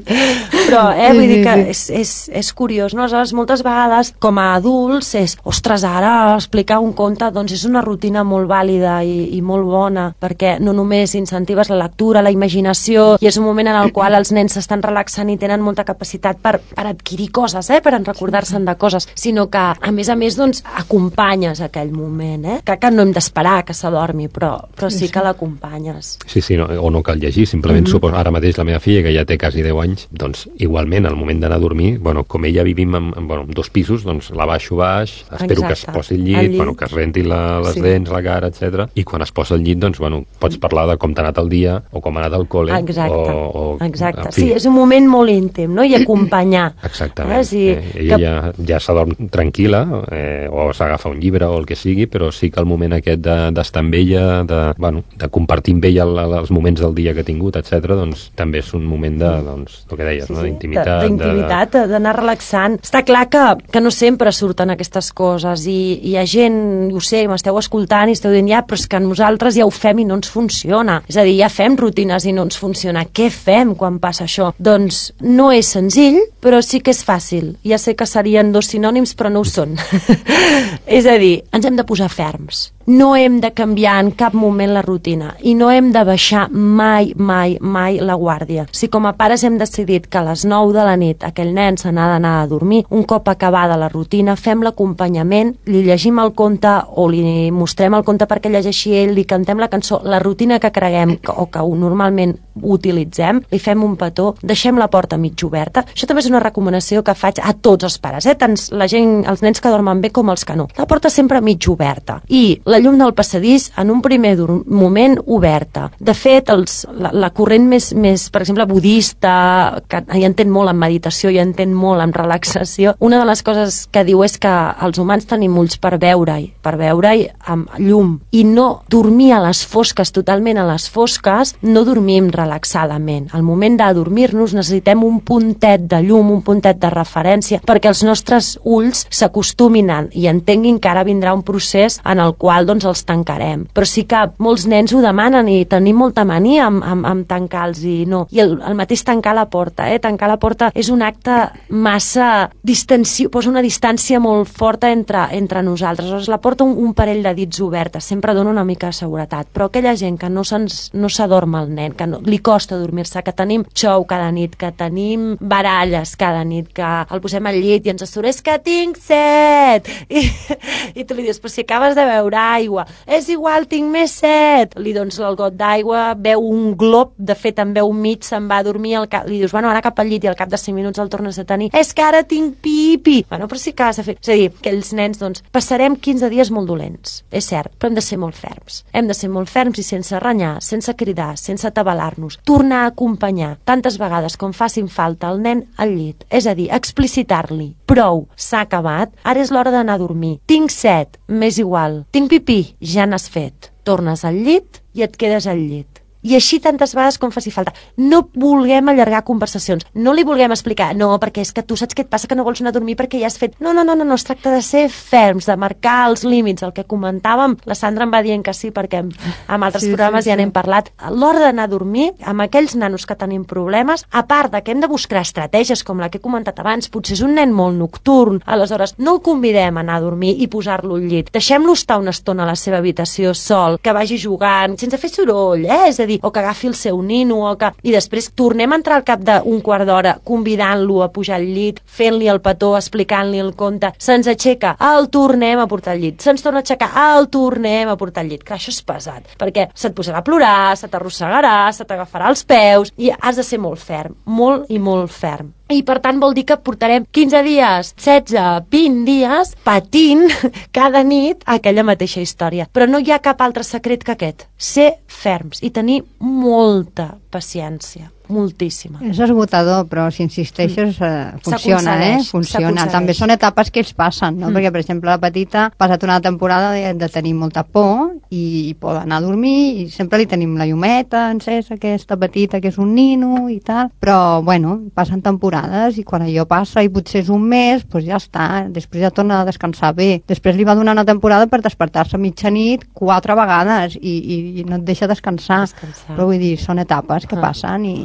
Però, eh, vull sí, dir que sí. és, és, és curiós, no? Aleshores, moltes vegades, com a adults, és, ostres, ara explicar un conte, doncs és una rutina molt vàlida i, i molt bona, perquè no només incentives la lectura, la imaginació, i és un moment en el qual els nens s'estan relaxant i tenen molta capacitat per, per adquirir coses, eh? Per recordar-se'n de coses, sinó que, a més a més, doncs, acompanyes aquell moment, eh? Que, que no hem d'esperar que s'adormi, però, però sí que l'acompanyes. Sí, sí, no, o no cal llegir, simplement mm-hmm. suposo, ara mateix la meva filla, que ja té quasi deu anys, doncs, igualment, al moment d'anar a dormir, bueno, com ella vivim en, en, bueno, en dos pisos, doncs, la baixo baix, espero Exacte. Que es posi al llit, llit. Bueno, que es renti la, les sí. dents, la cara, etcètera. I quan es posa al llit, doncs, bueno, pots parlar de com t'ha anat el dia o com ha anat al col·le. Exacte, o, o, exacte. Sí, és un moment molt íntim, no? I acompanyar. Exactament. Eh? Sí, eh, ella que... ja, ja s'adorm tranquil·la, eh, o s'agafa un llibre o el que sigui, però sí que el moment aquest d'estar de, amb ella, de, bueno, de compartir amb ella el, els moments del dia que ha tingut, etcètera, doncs també és un moment de, doncs, el que deies, sí, no? D'intimitat. D'intimitat, d'anar relaxant. Està clar que, que no sempre surten aquestes coses i hi ha gent, ho sé, m'esteu escoltant i esteu dient, ja, però és que nosaltres ja ho fem i no ens funciona. És a dir, ja fem rutines i no ens funciona. Què fem quan passa això? Doncs no és senzill, però sí que és fàcil. Ja sé que serien dos sinònims, però no ho són. És a dir, ens hem de posar ferms. No hem de canviar en cap moment la rutina i no hem de baixar mai, mai, mai la guàrdia. Si com a pares hem decidit que a les nou de la nit aquell nen se n'ha d'anar a dormir, un cop acabada la rutina, fem l'acompanyament, li llegim el conte o li mostrem el conte perquè llegeixi ell, li cantem la cançó, la rutina que creguem que, o que normalment utilitzem, li fem un petó, deixem la porta mig oberta. Això també és una recomanació que faig a tots els pares, eh? Tant la gent, els nens que dormen bé com els que no. La porta sempre mig oberta i la llum del passadís en un primer moment oberta. De fet, els, la, la corrent més, més, per exemple, budista, que hi entén molt en meditació, hi entén molt en relaxació, una de les coses que diu és que els humans tenim ulls per veure-hi, per veure-hi amb llum, i no dormir a les fosques, totalment a les fosques, no dormim relaxadament. Al moment de dormir-nos necessitem un puntet de llum, un puntet de referència, perquè els nostres ulls s'acostumin i entenguin que ara vindrà un procés en el qual doncs els tancarem. Però sí que molts nens ho demanen i tenim molta mania amb, amb, amb tancar-los i no. I el, el mateix tancar la porta, eh? Tancar la porta és un acte massa distensió, posa una distància molt forta entre, entre nosaltres. Llavors la porta un, un parell de dits oberta, sempre dona una mica de seguretat. Però aquella gent que no s'adorm no el nen, que no, li costa dormir-se, que tenim xou cada nit, que tenim baralles cada nit, que el posem al llit i ens assura, és que tinc set! I, i tu li dius, però si acabes de beure aigua, és igual, tinc més set! Li dones el got d'aigua, veu un glob, de fet en veu mig, se'n va a dormir, al cap, li dius, bueno, ara cap al llit, i al cap de cinc minuts el tornes a tenir, és que ara tinc pipi! Bueno, però sí que has de fer... És a dir, que els nens, doncs, passarem quinze dies molt dolents, és cert, però hem de ser molt ferms. Hem de ser molt ferms i sense renyar, sense cridar, sense atabalar-nos, tornar a acompanyar tantes vegades com facin falta el nen al llit, és a dir, explicitar-li, prou, s'ha acabat, ara és l'hora d'anar a dormir, tinc set, m'és igual, tinc pipí, ja n'has fet, tornes al llit i et quedes al llit. I així tantes vegades com faci falta. No vulguem allargar conversacions, no li vulguem explicar, no, perquè és que tu saps què et passa, que no vols anar a dormir perquè ja has fet... No, no, no, no, no, es tracta de ser ferms, de marcar els límits, el que comentàvem, la Sandra em va dient que sí, perquè amb, amb altres sí, programes sí, ja n'hem sí. parlat. A l'hora d'anar a dormir, amb aquells nanos que tenim problemes, a part de que hem de buscar estratègies com la que he comentat abans, potser és un nen molt nocturn, aleshores no el convidem a anar a dormir i posar-lo al llit, deixem-lo estar una estona a la seva habitació sol, que vagi jugant, sense fer soroll, eh? És a dir, o que agafi el seu nino, o que... i després tornem a entrar al cap d'un quart d'hora convidant-lo a pujar al llit, fent-li el petó, explicant-li el conte, se'ns aixeca, el tornem a portar al llit, se'ns torna a aixecar, el tornem a portar al llit. Clar, això és pesat, perquè se't posarà a plorar, se t'arrossegarà, se t'agafarà els peus, i has de ser molt ferm, molt i molt ferm. I per tant vol dir que portarem quinze dies, setze, vint dies patint cada nit aquella mateixa història. Però no hi ha cap altre secret que aquest. Ser ferms i tenir molta paciència. Moltíssima. És esgotador, però si insisteixes eh, funciona, eh? Funciona. També són etapes que ells passen, no? Mm. Perquè, per exemple, la petita ha passat una temporada de, de tenir molta por i, i pot anar a dormir i sempre li tenim la llumeta encesa, aquesta petita que és un nino i tal, però, bueno, passen temporades i quan allò passa i potser és un mes, doncs ja està, després ja torna a descansar bé. Després li va donar una temporada per despertar-se a mitjanit quatre vegades i, i, i no et deixa descansar. descansar. Però vull dir, són etapes que ah. passen i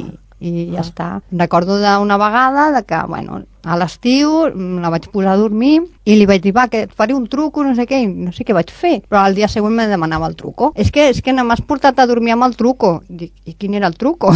i ja ah. està. Recordo d'una vegada de que, bueno, a l'estiu la vaig posar a dormir i li vaig dir, va, que et faré un truco, no sé què, i no sé què vaig fer, però al dia següent me demanava el truco. És que, és que no m'has portat a dormir amb el truco. Dic, i quin era el truco?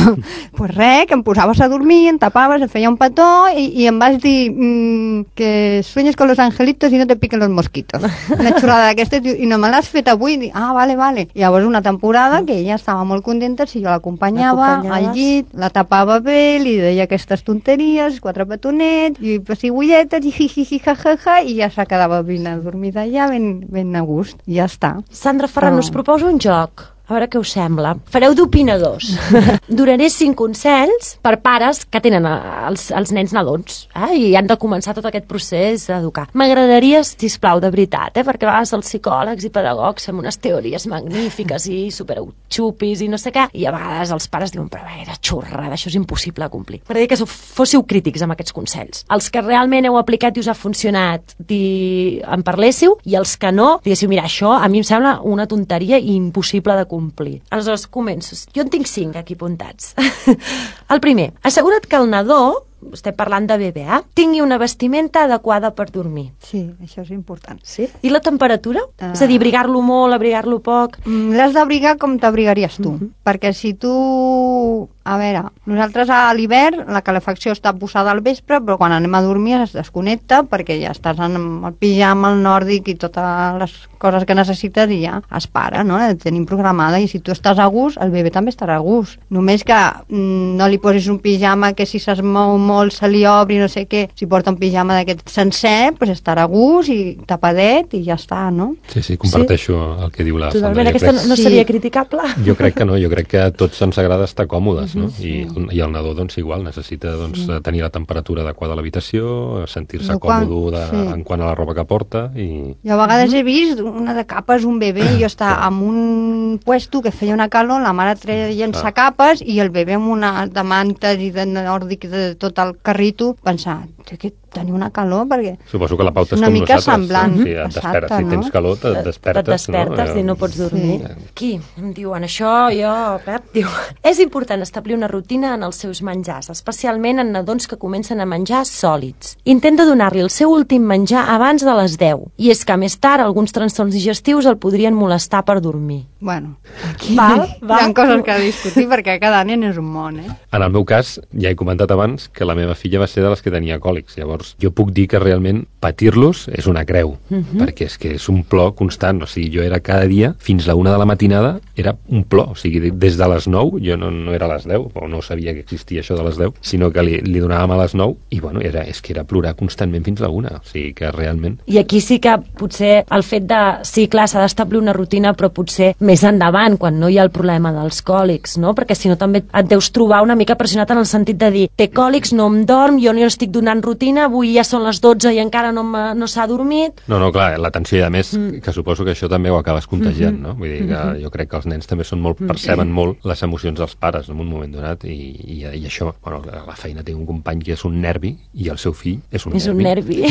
Pues res, que em posaves a dormir, em tapaves, em feia un petó i, i em vas dir mmm, que sueñes con los angelitos i no te piquen los mosquitos. Una xorrada d'aquesta, i no me l'has fet avui. Dic, ah, vale, vale. I llavors una temporada que ella estava molt contenta si jo l'acompanyava al llit, la tapava bé, li deia aquestes tonteries, quatre petonets, i pessigolletes, i jijiji, jajaja, i ja se quedava ben adormida allà, ben, ben a gust, i ja està. Sandra Ferran, Però... us proposo un joc. A veure què us sembla. Fareu d'opinadors. Donaré cinc consells per pares que tenen els, els nens nadons eh? I han de començar tot aquest procés d'educar. M'agradaria, sisplau, de veritat, eh? perquè a vegades els psicòlegs i pedagogs fem unes teories magnífiques i superxupis i no sé què, i a vegades els pares diuen, però era xorrada, això és impossible de complir. M'agradaria que fóssiu crítics amb aquests consells. Els que realment heu aplicat i us ha funcionat, di... en parléssiu, i els que no, diguéssiu, mira, això a mi em sembla una tonteria i impossible de complir. complir. Aleshores, començo. Jo en tinc cinc aquí apuntats. El primer, assegura't que el nadó, estem parlant de bebè, eh? tingui una vestimenta adequada per dormir. Sí, això és important. Sí? I la temperatura? Uh... És a dir, abrigar-lo molt, abrigar-lo poc? Mm, l'has d'abrigar com t'abrigaries tu. Uh -huh. Perquè si tu... A veure, nosaltres a l'hivern la calefacció està posada al vespre, però quan anem a dormir es desconnecta perquè ja estàs en el pijama, el nòrdic i totes les coses que necessites i ja es para, no? La tenim programada i si tu estàs a gust, el bebè també estarà a gust. Només que mm, no li posis un pijama que si se's mou molt se li obri, no sé què. Si porta un pijama d'aquest sencer, pues estarà a gust i tapadet i ja està, no? Sí, sí, comparteixo sí? el que diu la Sandra. Totalment, aquesta crec... no seria sí. criticable? Jo crec que no, jo crec que a tots ens agrada estar còmodes, no? Sí. I, i el nadó, doncs, igual, necessita doncs, sí. tenir la temperatura adequada a l'habitació, sentir-se còmode de, sí. en quant a la roba que porta i... Jo a vegades he vist una de capes, un bebè, i jo estava en un puesto que feia una calor, la mare treient-se capes i el bebè amb una de mantes i de nòrdic de tot el carrito, pensant, aquest tenir una calor, perquè suposo que la pauta és una com mica nosaltres. semblant. Sí, et despertes, Exacte, si no? tens calor, et despertes. Et despertes no? i no pots dormir. Sí. Aquí em diuen això, jo, Pep, diu... És important establir una rutina en els seus menjars, especialment en nadons que comencen a menjar sòlids. Intenta donar-li el seu últim menjar abans de les deu, i és que més tard alguns trastorns digestius el podrien molestar per dormir. Bueno, aquí Val, hi val. ha coses que discutir perquè cada nen és un món, eh? En el meu cas, ja he comentat abans que la meva filla va ser de les que tenia còlics. Llavors, jo puc dir que realment patir-los és una creu, uh -huh. perquè és que és un plor constant. O sigui, jo era cada dia, fins a la una de la matinada, era un plor. O sigui, des de les nou, jo no, no era a les deu, o no sabia que existia això de les deu, sinó que li, li donàvem a les nou, i bueno, era, és que era plorar constantment fins a la una. O sigui, que realment... I aquí sí que potser el fet de... Sí, clar, s'ha d'establir una rutina, però potser més endavant, quan no hi ha el problema dels còlics, no? Perquè si no també et deus trobar una mica pressionat en el sentit de dir, té còlics, no em dorm, jo no estic donant rutina, avui ja són les dotze i encara no, no s'ha dormit. No, no, clar, l'atenció, i a més, mm. que suposo que això també ho acabes contagiant, mm -hmm. no? Vull dir que mm-hmm. jo crec que els nens també són molt, perceben mm. molt les emocions dels pares en un moment donat, i, i, i això, bueno, la feina té un company que és un nervi, i el seu fill és un és nervi. un nervi.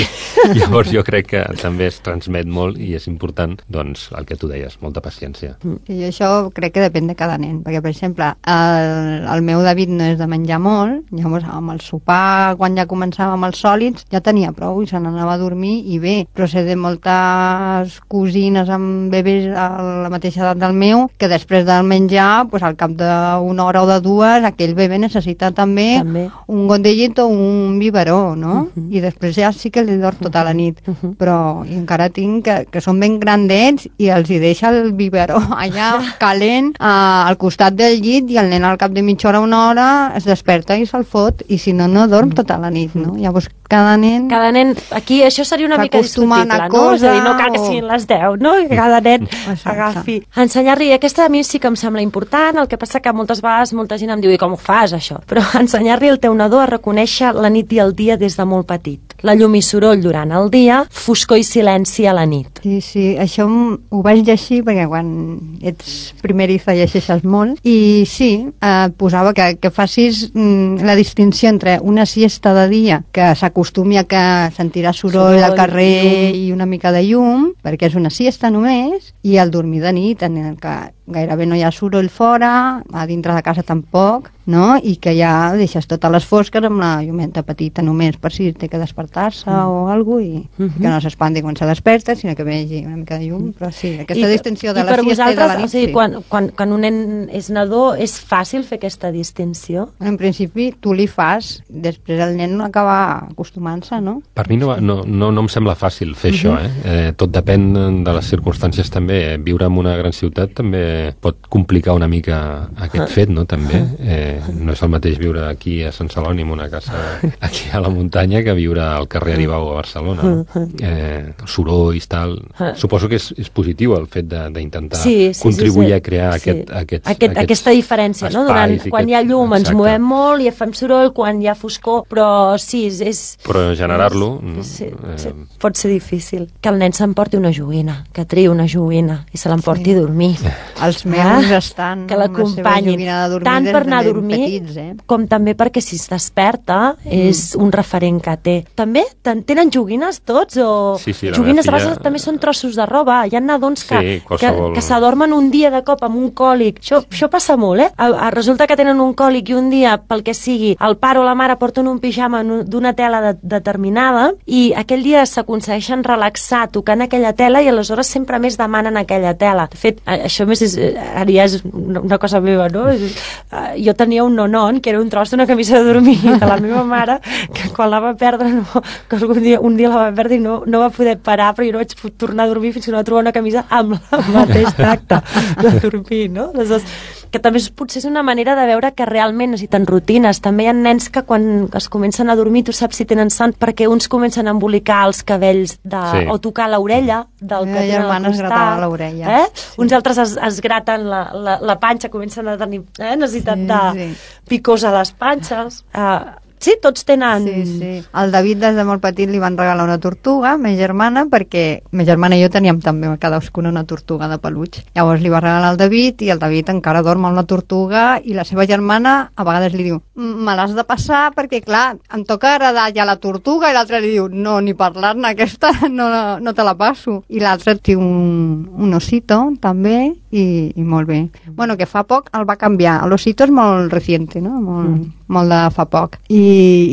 I llavors jo crec que també es transmet molt, i és important, doncs, el que tu deies, molta paciència. I això crec que depèn de cada nen, perquè, per exemple, el, el meu David no és de menjar molt, llavors amb el sopar, quan ja començava amb els sòlids, ja tenia prou i se n'anava a dormir, i bé, però sé de moltes cosines amb bebès a la mateixa edat del meu, que després del menjar, pues, al cap d'una hora o de dues, aquell bebè necessita també, també. un got de llet o un biberó, no? Uh -huh. I després ja sí que li dorm tota la nit, uh -huh. però i encara tinc que, que són ben grandets i els hi deixa el biberó allà calent eh, al costat del llit, i el nen al cap de mitja hora o una hora es desperta i se'l fot, i si no, no dorm tota la nit, no? Llavors cada nen... Cada nen, aquí això seria una mica s'acostuma a discutible, una no? cosa, És a dir, no cal que o- siguin les deu, no? Que cada nen Exacte. agafi. Ensenyar-li, aquesta a mi sí que em sembla important, el que passa que moltes vegades molta gent em diu, i com ho fas, això? Però ensenyar-li al teu nadó a reconèixer la nit i el dia des de molt petit. La llum i soroll durant el dia, foscor i silenci a la nit. Sí, sí, això m- ho vaig llegir perquè quan ets primeriza llegeixes molt, i sí, eh, posava que, que facis mm, la distinció entre una siesta de dia, que s'acostumi a que sentirà soroll, Soroll, al carrer llum. i una mica de llum, perquè és una siesta només, i el dormir de nit, en el que gairebé no hi ha soroll fora, a dintre de casa tampoc, no? I que ja deixes totes les fosques amb la llumeta petita només per si té que despertar-se mm. o alguna cosa, i Mm -hmm. que no s'espanti quan se desperta, sinó que vegi una mica de llum, però sí, aquesta I, distinció de i la per siesta i de la vosaltres, nit, o sigui, sí. quan, quan, quan un nen és nadó, és fàcil fer aquesta distinció? En principi tu li fas, després el nen acaba acostumant-se, no? Per mi no, va- no, no, no em sembla fàcil fer això, eh? eh? Tot depèn de les circumstàncies també. Eh? Viure en una gran ciutat també pot complicar una mica aquest fet, no? També. Eh, no és el mateix viure aquí a Sant Celoni, en una casa aquí a la muntanya, que viure al carrer Aribau a Barcelona. No? Eh, sorolls, tal... Suposo que és, és positiu el fet de- d'intentar Sí, sí, contribuir sí, sí. a crear Sí. aquest, aquests, Aquest, aquests aquesta diferència, no? Durant, espais i quan aquest- hi ha llum ens Exacte. movem molt i fem soroll, quan hi ha foscor, però sí, és... és Però generar-lo... sí, eh, sí, pot ser difícil. Que el nen s'emporti una joguina, que triï una joguina i se l'emporti Sí. a dormir. Els meus estan que amb la seva l'acompanyin, joguina de dormir tant des per de anar a ben dormir petits, eh? com també perquè si es desperta és un referent que té. També ten- tenen joguines tots o Sí, sí, la joguines meva a filla- vegades també són trossos de roba. Hi ha nadons que, Sí, que, qualsevol- que s'adormen un dia de cop amb un còlic. Això, això passa molt, eh? A, a, resulta que tenen un còlic i un dia, pel que sigui, el pare o la mare porten un pijama en un- d'una tela de, determinada i aquell dia s'aconsegueixen relaxar tocant aquella tela i aleshores sempre més demanen aquella tela. De fet, a- això més és, eh, ara ja és una, una cosa meva, no? És, eh, jo tenia un nonon que era un tros d'una camisa de dormir de la meva mare, que quan la va perdre, no, que algun dia, un dia la va perdre i no, no va poder parar, però jo no vaig pu- tornar a dormir fins que no va trobar una camisa amb el mateix tacte de dormir, no? Aleshores, que també és, potser és una manera de veure que realment necessiten rutines. També hi ha nens que quan es comencen a dormir tu saps si tenen son perquè uns comencen a embolicar els cabells de, Sí. o tocar l'orella del La que tenen al germana es costat. gratava l'orella. Eh? Uns altres es, es graten la, la, la panxa, comencen a tenir eh? necessitat Sí, de sí. picors a les panxes. Uh, Sí, tots tenen... Sí, sí. El David des de molt petit li van regalar una tortuga, ma germana, perquè ma germana i jo teníem també cadascuna una tortuga de peluig. Llavors li va regalar el David i el David encara dorm amb la tortuga i la seva germana a vegades li diu me l'has de passar perquè, clar, em toca agradar ja la tortuga, i l'altre li diu no, ni parlar-ne, aquesta no, no te la passo. I l'altre té un, un osito també i, i molt bé. Bueno, que fa poc el va canviar. L'osito és molt reciente, no? Molt, mm. molt de fa poc. I,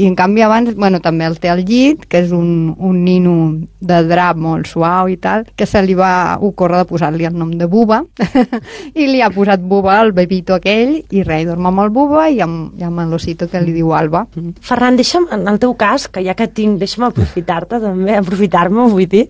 i en canvi abans, bueno, també el té al llit, que és un, un nino de drap molt suau i tal, que se li va ocórrer de posar-li el nom de Buba i li ha posat Buba al bebito aquell i res, dorm amb el Buba i amb, i amb l'osito que li diu Alba. Ferran, deixa'm, en el teu cas, que ja que tinc, deixa'm aprofitar-te també, aprofitar-me, vull dir,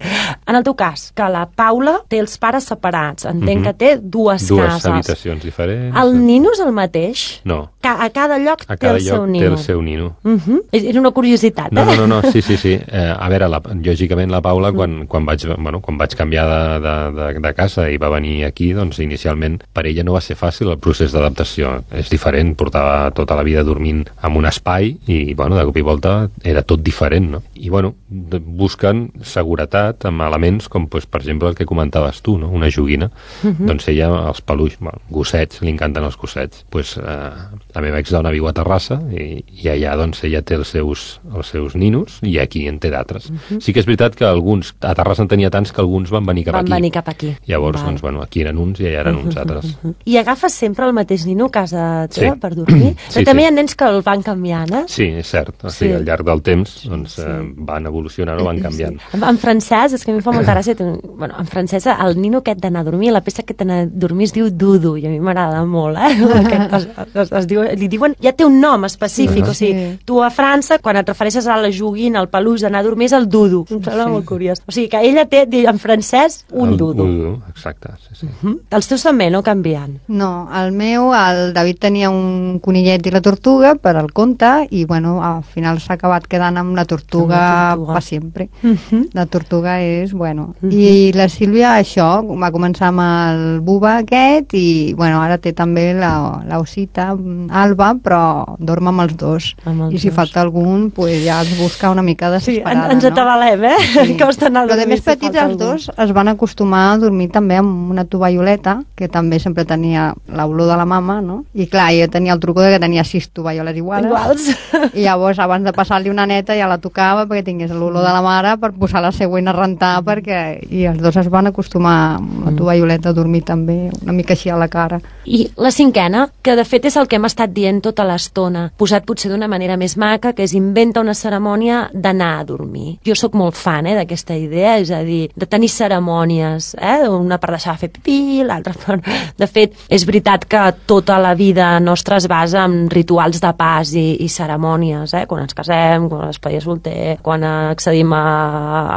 en el teu cas, que la Paula té els pares separats, entenc mm-hmm. que té dues, dues cases. Dues habitacions diferents. El nino és el mateix? No. Ca a cada lloc a té cada el lloc seu nino. té el seu nino. Uh-huh. Era una curiositat, eh? No, no, no, no. sí, sí, sí. Eh, a veure, la, lògicament la Paula, quan, quan, vaig, bueno, quan vaig canviar de, de, de, de casa i va venir aquí, doncs inicialment per ella no va ser fàcil el procés d'adaptació. És diferent, portava tota la vida dormint en un espai i, bueno, de cop i volta era tot diferent, no? I, bueno, busquen seguretat amb elements com, pues, per exemple, el que comentaves tu, no? Una joguina. Uh-huh. Doncs ella, els peluix, bueno, gossets, li encanten els gossets. Pues, eh, la meva exdona viu a Terrassa i, i allà, doncs, ella té els seus, els seus ninos i aquí en té d'altres. Uh-huh. Sí que és veritat que alguns, a Terrassa en tenia tants que alguns van venir cap van aquí. Van venir cap aquí. Llavors, Val. doncs, bueno, aquí eren uns i allà eren uh-huh, uns altres. Uh-huh. I agafes sempre el mateix nino a casa teva sí. per dormir? Sí, Però també sí. hi ha nens que el van canviant, eh? Sí, és cert. O sigui, sí. al llarg del temps doncs, sí. eh, van evolucionant o van canviant. Sí. En francès, és que a mi em fa molta gràcia, bueno, en francès el nino aquest d'anar a dormir, la peça aquest d'anar a dormir es diu Dudu, i a mi m'agrada molt, eh? Aquest, es, es, es diu, li diuen, ja té un nom específic, sí. o sigui, tu a França, quan et refereixes a la joguina, al peluix d'anar a dormir, és el Dudu. Em sembla sí. molt curiós. O sigui, que ella té, en francès, un el, Dudu. Dudu, exacte, sí, sí. Uh-huh. Els teus també no canvien? No, el meu, el David tenia un conillet i la tortuga per al conte i, bueno, al final s'ha acabat quedant amb la tortuga, la tortuga. per sempre. Uh-huh. La tortuga és, bueno... Uh-huh. I la Sílvia, això, va començar amb el Buba aquest i, bueno, ara té també la, la osita, Alba, però dorm amb els dos. Amb els I si dos. falta algun, pues ja es busca una mica desesperada, sí, ens no? atabalem, eh? Sí. Costa anar a però de més petits els dos es van acostumar a dormir també amb una tovalloleta, que també sempre tenia l'olor de la mama, no? I clar, jo tenia el truco de que tenia sis tovalloles iguals. Iguals. I llavors, abans de passar-li una neta, ja la tocava perquè tingués l'olor de la mare per posar la següent a rentar, mm. perquè... I els dos es van acostumar amb la tovalloleta a dormir també, una mica així a la cara. I la cinquena, que de fet és el que hem estat dient tota l'estona, posat potser d'una manera més maca, que és inventa una cerimònia d'anar a dormir. Jo sóc molt fan eh, d'aquesta idea, és a dir, de tenir cerimònies, eh? Una per deixar de fer pipí, l'altra per... De fet, és veritat que tota la vida nostra es basa en rituals de pas i, i cerimònies, eh? Quan ens casem, quan es paia solter, quan accedim a,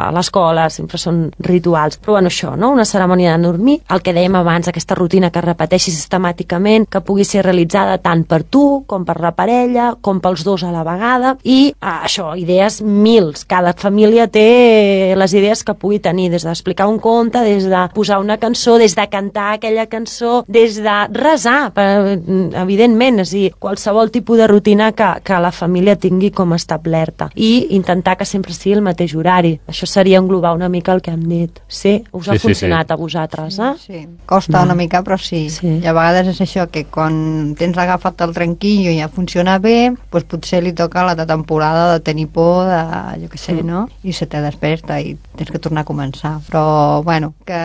a l'escola, sempre són rituals. Però bueno, això, no? Una cerimònia de dormir, el que dèiem abans, aquesta rutina que es repeteixi sistemàticament, que pugui ser realitzada tant per tu, com per la parella, com pels dos a la vegada, i ah, això, idees mils. Cada família té les idees que pugui tenir, des d'explicar un conte, des de posar una cançó, des de cantar aquella cançó, des de resar, per, evidentment, és a dir, qualsevol tipus de rutina que, que la família tingui com establerta, i intentar que sempre sigui el mateix horari. Això seria englobar una mica el que hem dit. Sí? Us ha sí, funcionat sí, sí. a vosaltres, eh? Sí, costa Va. una mica, però sí. sí. I a vegades és això, que quan tens agafat el tranquillo i ja funciona bé, doncs potser li toca la temporada de tenir por, de, jo què sé, mm. no? I se te desperta i tens que tornar a començar. Però, bueno, que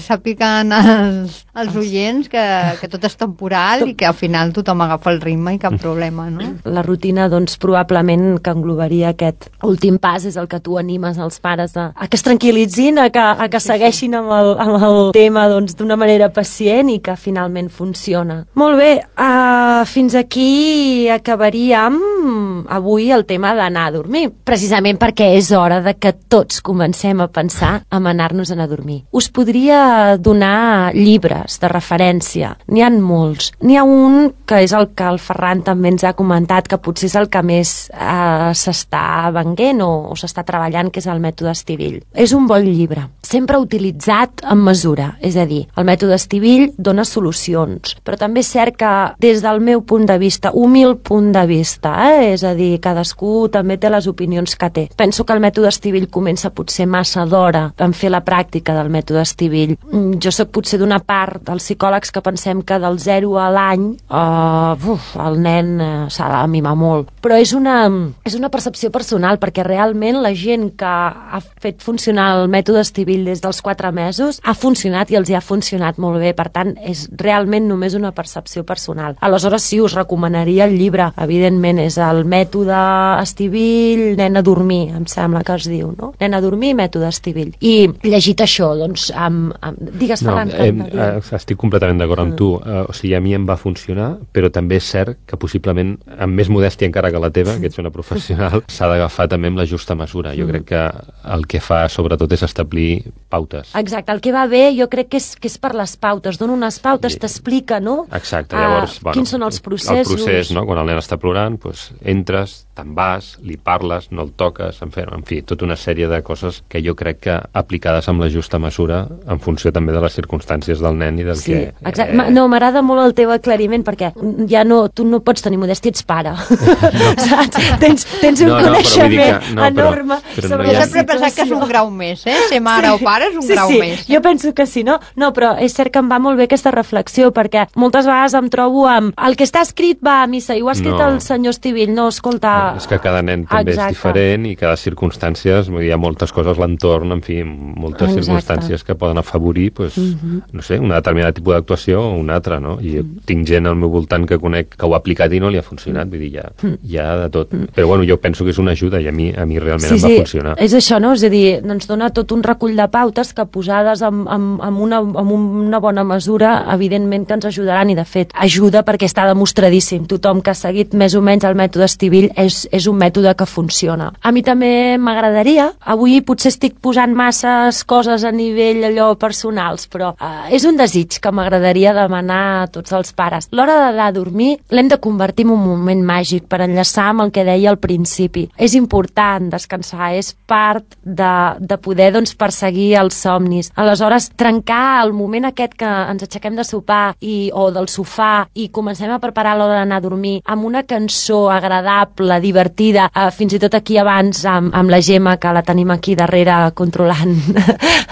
sàpiguen els, els oients que, que tot és temporal i que al final tothom agafa el ritme i cap problema, no? La rutina, doncs, probablement que englobaria aquest últim pas, és el que tu animes als pares a, a que es tranquil·litzin, a que, a que segueixin amb el, amb el tema doncs, d'una manera pacient i que finalment funciona. Molt bé, uh, fins aquí acabaríem avui el tema d'anar a dormir, precisament perquè és hora de que tots comencem a pensar en anar-nos a anar a dormir. Us podria donar llibres de referència, n'hi ha molts. N'hi ha un que és el que el Ferran també ens ha comentat, que potser és el que més eh, s'està venguent o, o s'està treballant, que és el mètode Estivill. És un bon llibre, sempre utilitzat en mesura, és a dir, el mètode Estivill dona solucions, però també és cert que des del meu punt de vista, humil punt de vista, eh? És a dir, cadascú també té les opinions que té. Penso que el mètode Estivill comença potser massa d'hora en fer la pràctica del mètode Estivill. Jo sóc potser d'una part dels psicòlegs que pensem que del zero a l'any uh, uf, el nen uh, s'ha de mimar molt. Però és una, és una percepció personal, perquè realment la gent que ha fet funcionar el mètode Estivill des dels quatre mesos ha funcionat i els hi ha funcionat molt bé. Per tant, és realment només una percepció personal. Aleshores, sí, us recomanaria el llibre. Evidentment, és el mètode Estivill, nen a dormir, em sembla que es diu, no? Nen a dormir, mètode Estivill. I llegit això, doncs, amb... amb... digues, no, Ferran. Eh, eh, estic completament d'acord amb tu. Uh, o sigui, a mi em va funcionar, però també és cert que possiblement, amb més modèstia encara que la teva, que ets una professional, s'ha d'agafar també amb la justa mesura. Jo mm. crec que el que fa, sobretot, és establir pautes. Exacte, el que va bé jo crec que és, que és per les pautes. Dona unes pautes, I... t'explica, no? Exacte, llavors... Uh, bueno, quins són els processos? El procés, no? Quan el nen està plorant, doncs, entres, te'n vas, li parles, no el toques, en fi, en fi, tota una sèrie de coses que jo crec que aplicades amb la justa mesura en funció també de les circumstàncies del nen i del sí, que... Exacte. Eh... No, m'agrada molt el teu aclariment, perquè ja no, tu no pots tenir modèstia, ets pare. No. Saps? Tens, tens un no, no, coneixement que, no, enorme però, però sobre no ha... sempre he pensat que és un grau més, eh? Ser mare sí. o pare és un sí, grau sí. més. Jo penso que sí, no? No, però és cert que em va molt bé aquesta reflexió, perquè moltes vegades em trobo amb el que està escrit va a missa, i ho ha escrit no. el senyor Estivill, no, escolta... No, és que cada nen també Exacte. és diferent i cada circumstàncies, hi ha moltes coses, l'entorn, en fi, moltes Exacte. circumstàncies que poden afavorir, pues, uh -huh. no sé, un determinat tipus d'actuació o una altra, no? I jo uh -huh. tinc gent al meu voltant que conec que ho ha aplicat i no li ha funcionat, uh -huh. vull dir, ja, hi ha de tot. Uh -huh. Però bueno, jo penso que és una ajuda i a mi, a mi realment sí, em va sí, funcionar. És això, no? És a dir, ens dona tot un recull de pautes que posades amb, amb, amb, una, amb una bona mesura, evidentment que ens ajudaran, i de fet ajuda perquè està demostradíssim. Tothom que ha seguit més o menys el mètode Estivill és, és un mètode que funciona. A mi també m'agradaria, avui potser estic posant masses coses a nivell allò personals, però eh, és un desig que m'agradaria demanar a tots els pares. L'hora d'anar a dormir l'hem de convertir en un moment màgic per enllaçar amb el que deia al principi. És important descansar, és part de, de poder doncs, perseguir els somnis. Aleshores, trencar el moment aquest que ens aixequem de sopar i, o del sofà i comencem a preparar l'hora d'anar a dormir amb una cançó agradable, divertida, eh, fins i tot aquí abans amb, amb la Gemma, que la tenim aquí darrere controlant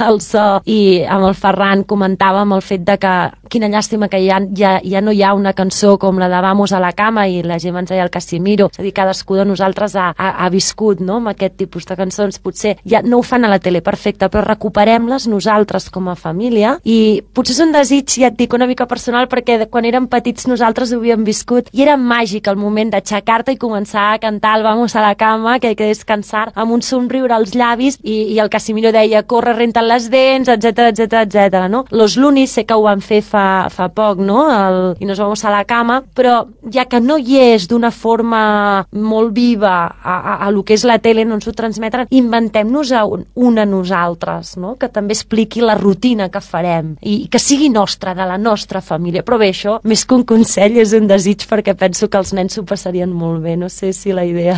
el so, i amb el Ferran comentàvem el fet de que quina llàstima que ja, ja, ja no hi ha una cançó com la de Vamos a la cama, i la Gemma ens deia el Casimiro. És a dir, cadascú de nosaltres ha, ha, ha viscut, no?, amb aquest tipus de cançons. Potser ja no ho fan a la tele, perfecte, però recuperem-les nosaltres com a família, i potser és un desig, ja et dic, una mica personal, perquè quan érem petits nosaltres ho havíem viscut i era màgic el moment d'aixecar-te i començar a cantar el Vamos a la cama, que hay que descansar, amb un somriure als llavis, i, i el Casimiro deia corre, renta't les dents, etcètera, etcètera, etcètera, no? Los Lunis sé que ho van fer fa, fa poc, no?, el, i nos vamos a la cama, però ja que no hi és d'una forma molt viva a, a, a lo que és la tele, no ens ho transmeten, inventem-nos un, una nosaltres, no?, que també expliqui la rutina que farem i que sigui nostra, de la nostra família. Però bé, això, més que un consell, és un desig, perquè penso que els nens s'ho passarien molt bé. No sé si la idea...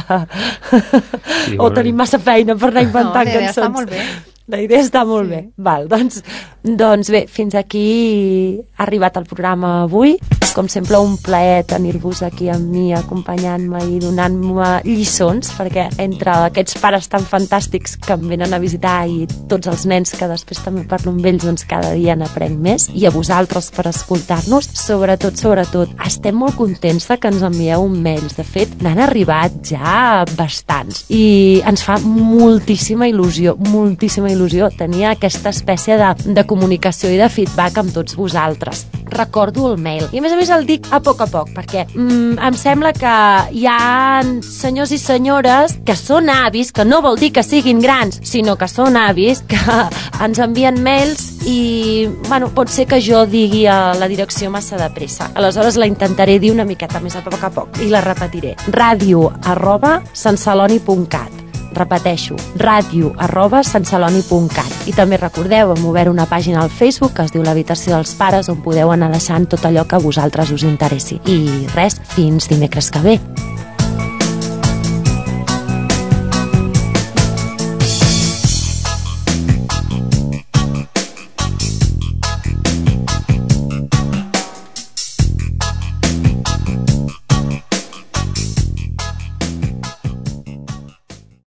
Sí, o bueno, tenim massa feina per anar inventant no, cançons. Està molt bé. La idea està molt sí. bé. Val, doncs, doncs bé, fins aquí ha arribat el programa avui. Com sempre, un plaer tenir-vos aquí amb mi, acompanyant-me i donant-me lliçons, perquè entre aquests pares tan fantàstics que em venen a visitar i tots els nens que després també parlo amb ells, doncs cada dia n'aprenc més, i a vosaltres per escoltar-nos, sobretot, sobretot, estem molt contents de que ens envieu mails. De fet, n'han arribat ja bastants i ens fa moltíssima il·lusió, moltíssima il·lusió tenir aquesta espècie de, de comunicació i de feedback amb tots vosaltres. Recordo el mail, i a més a més el dic a poc a poc, perquè mm, em sembla que hi ha senyors i senyores que són avis, que no vol dir que siguin grans, sinó que són avis, que ens envien mails i, bueno, pot ser que jo digui a la direcció massa de pressa. Aleshores la intentaré dir una miqueta més a poc a poc i la repetiré. ràdio arroba santceloni punt cat. Repeteixo, ràdio arroba santceloni punt cat. I també recordeu, hem obert una pàgina al Facebook que es diu l'Habitació dels Pares, on podeu anar deixant tot allò que a vosaltres us interessi. I res, fins dimecres que ve.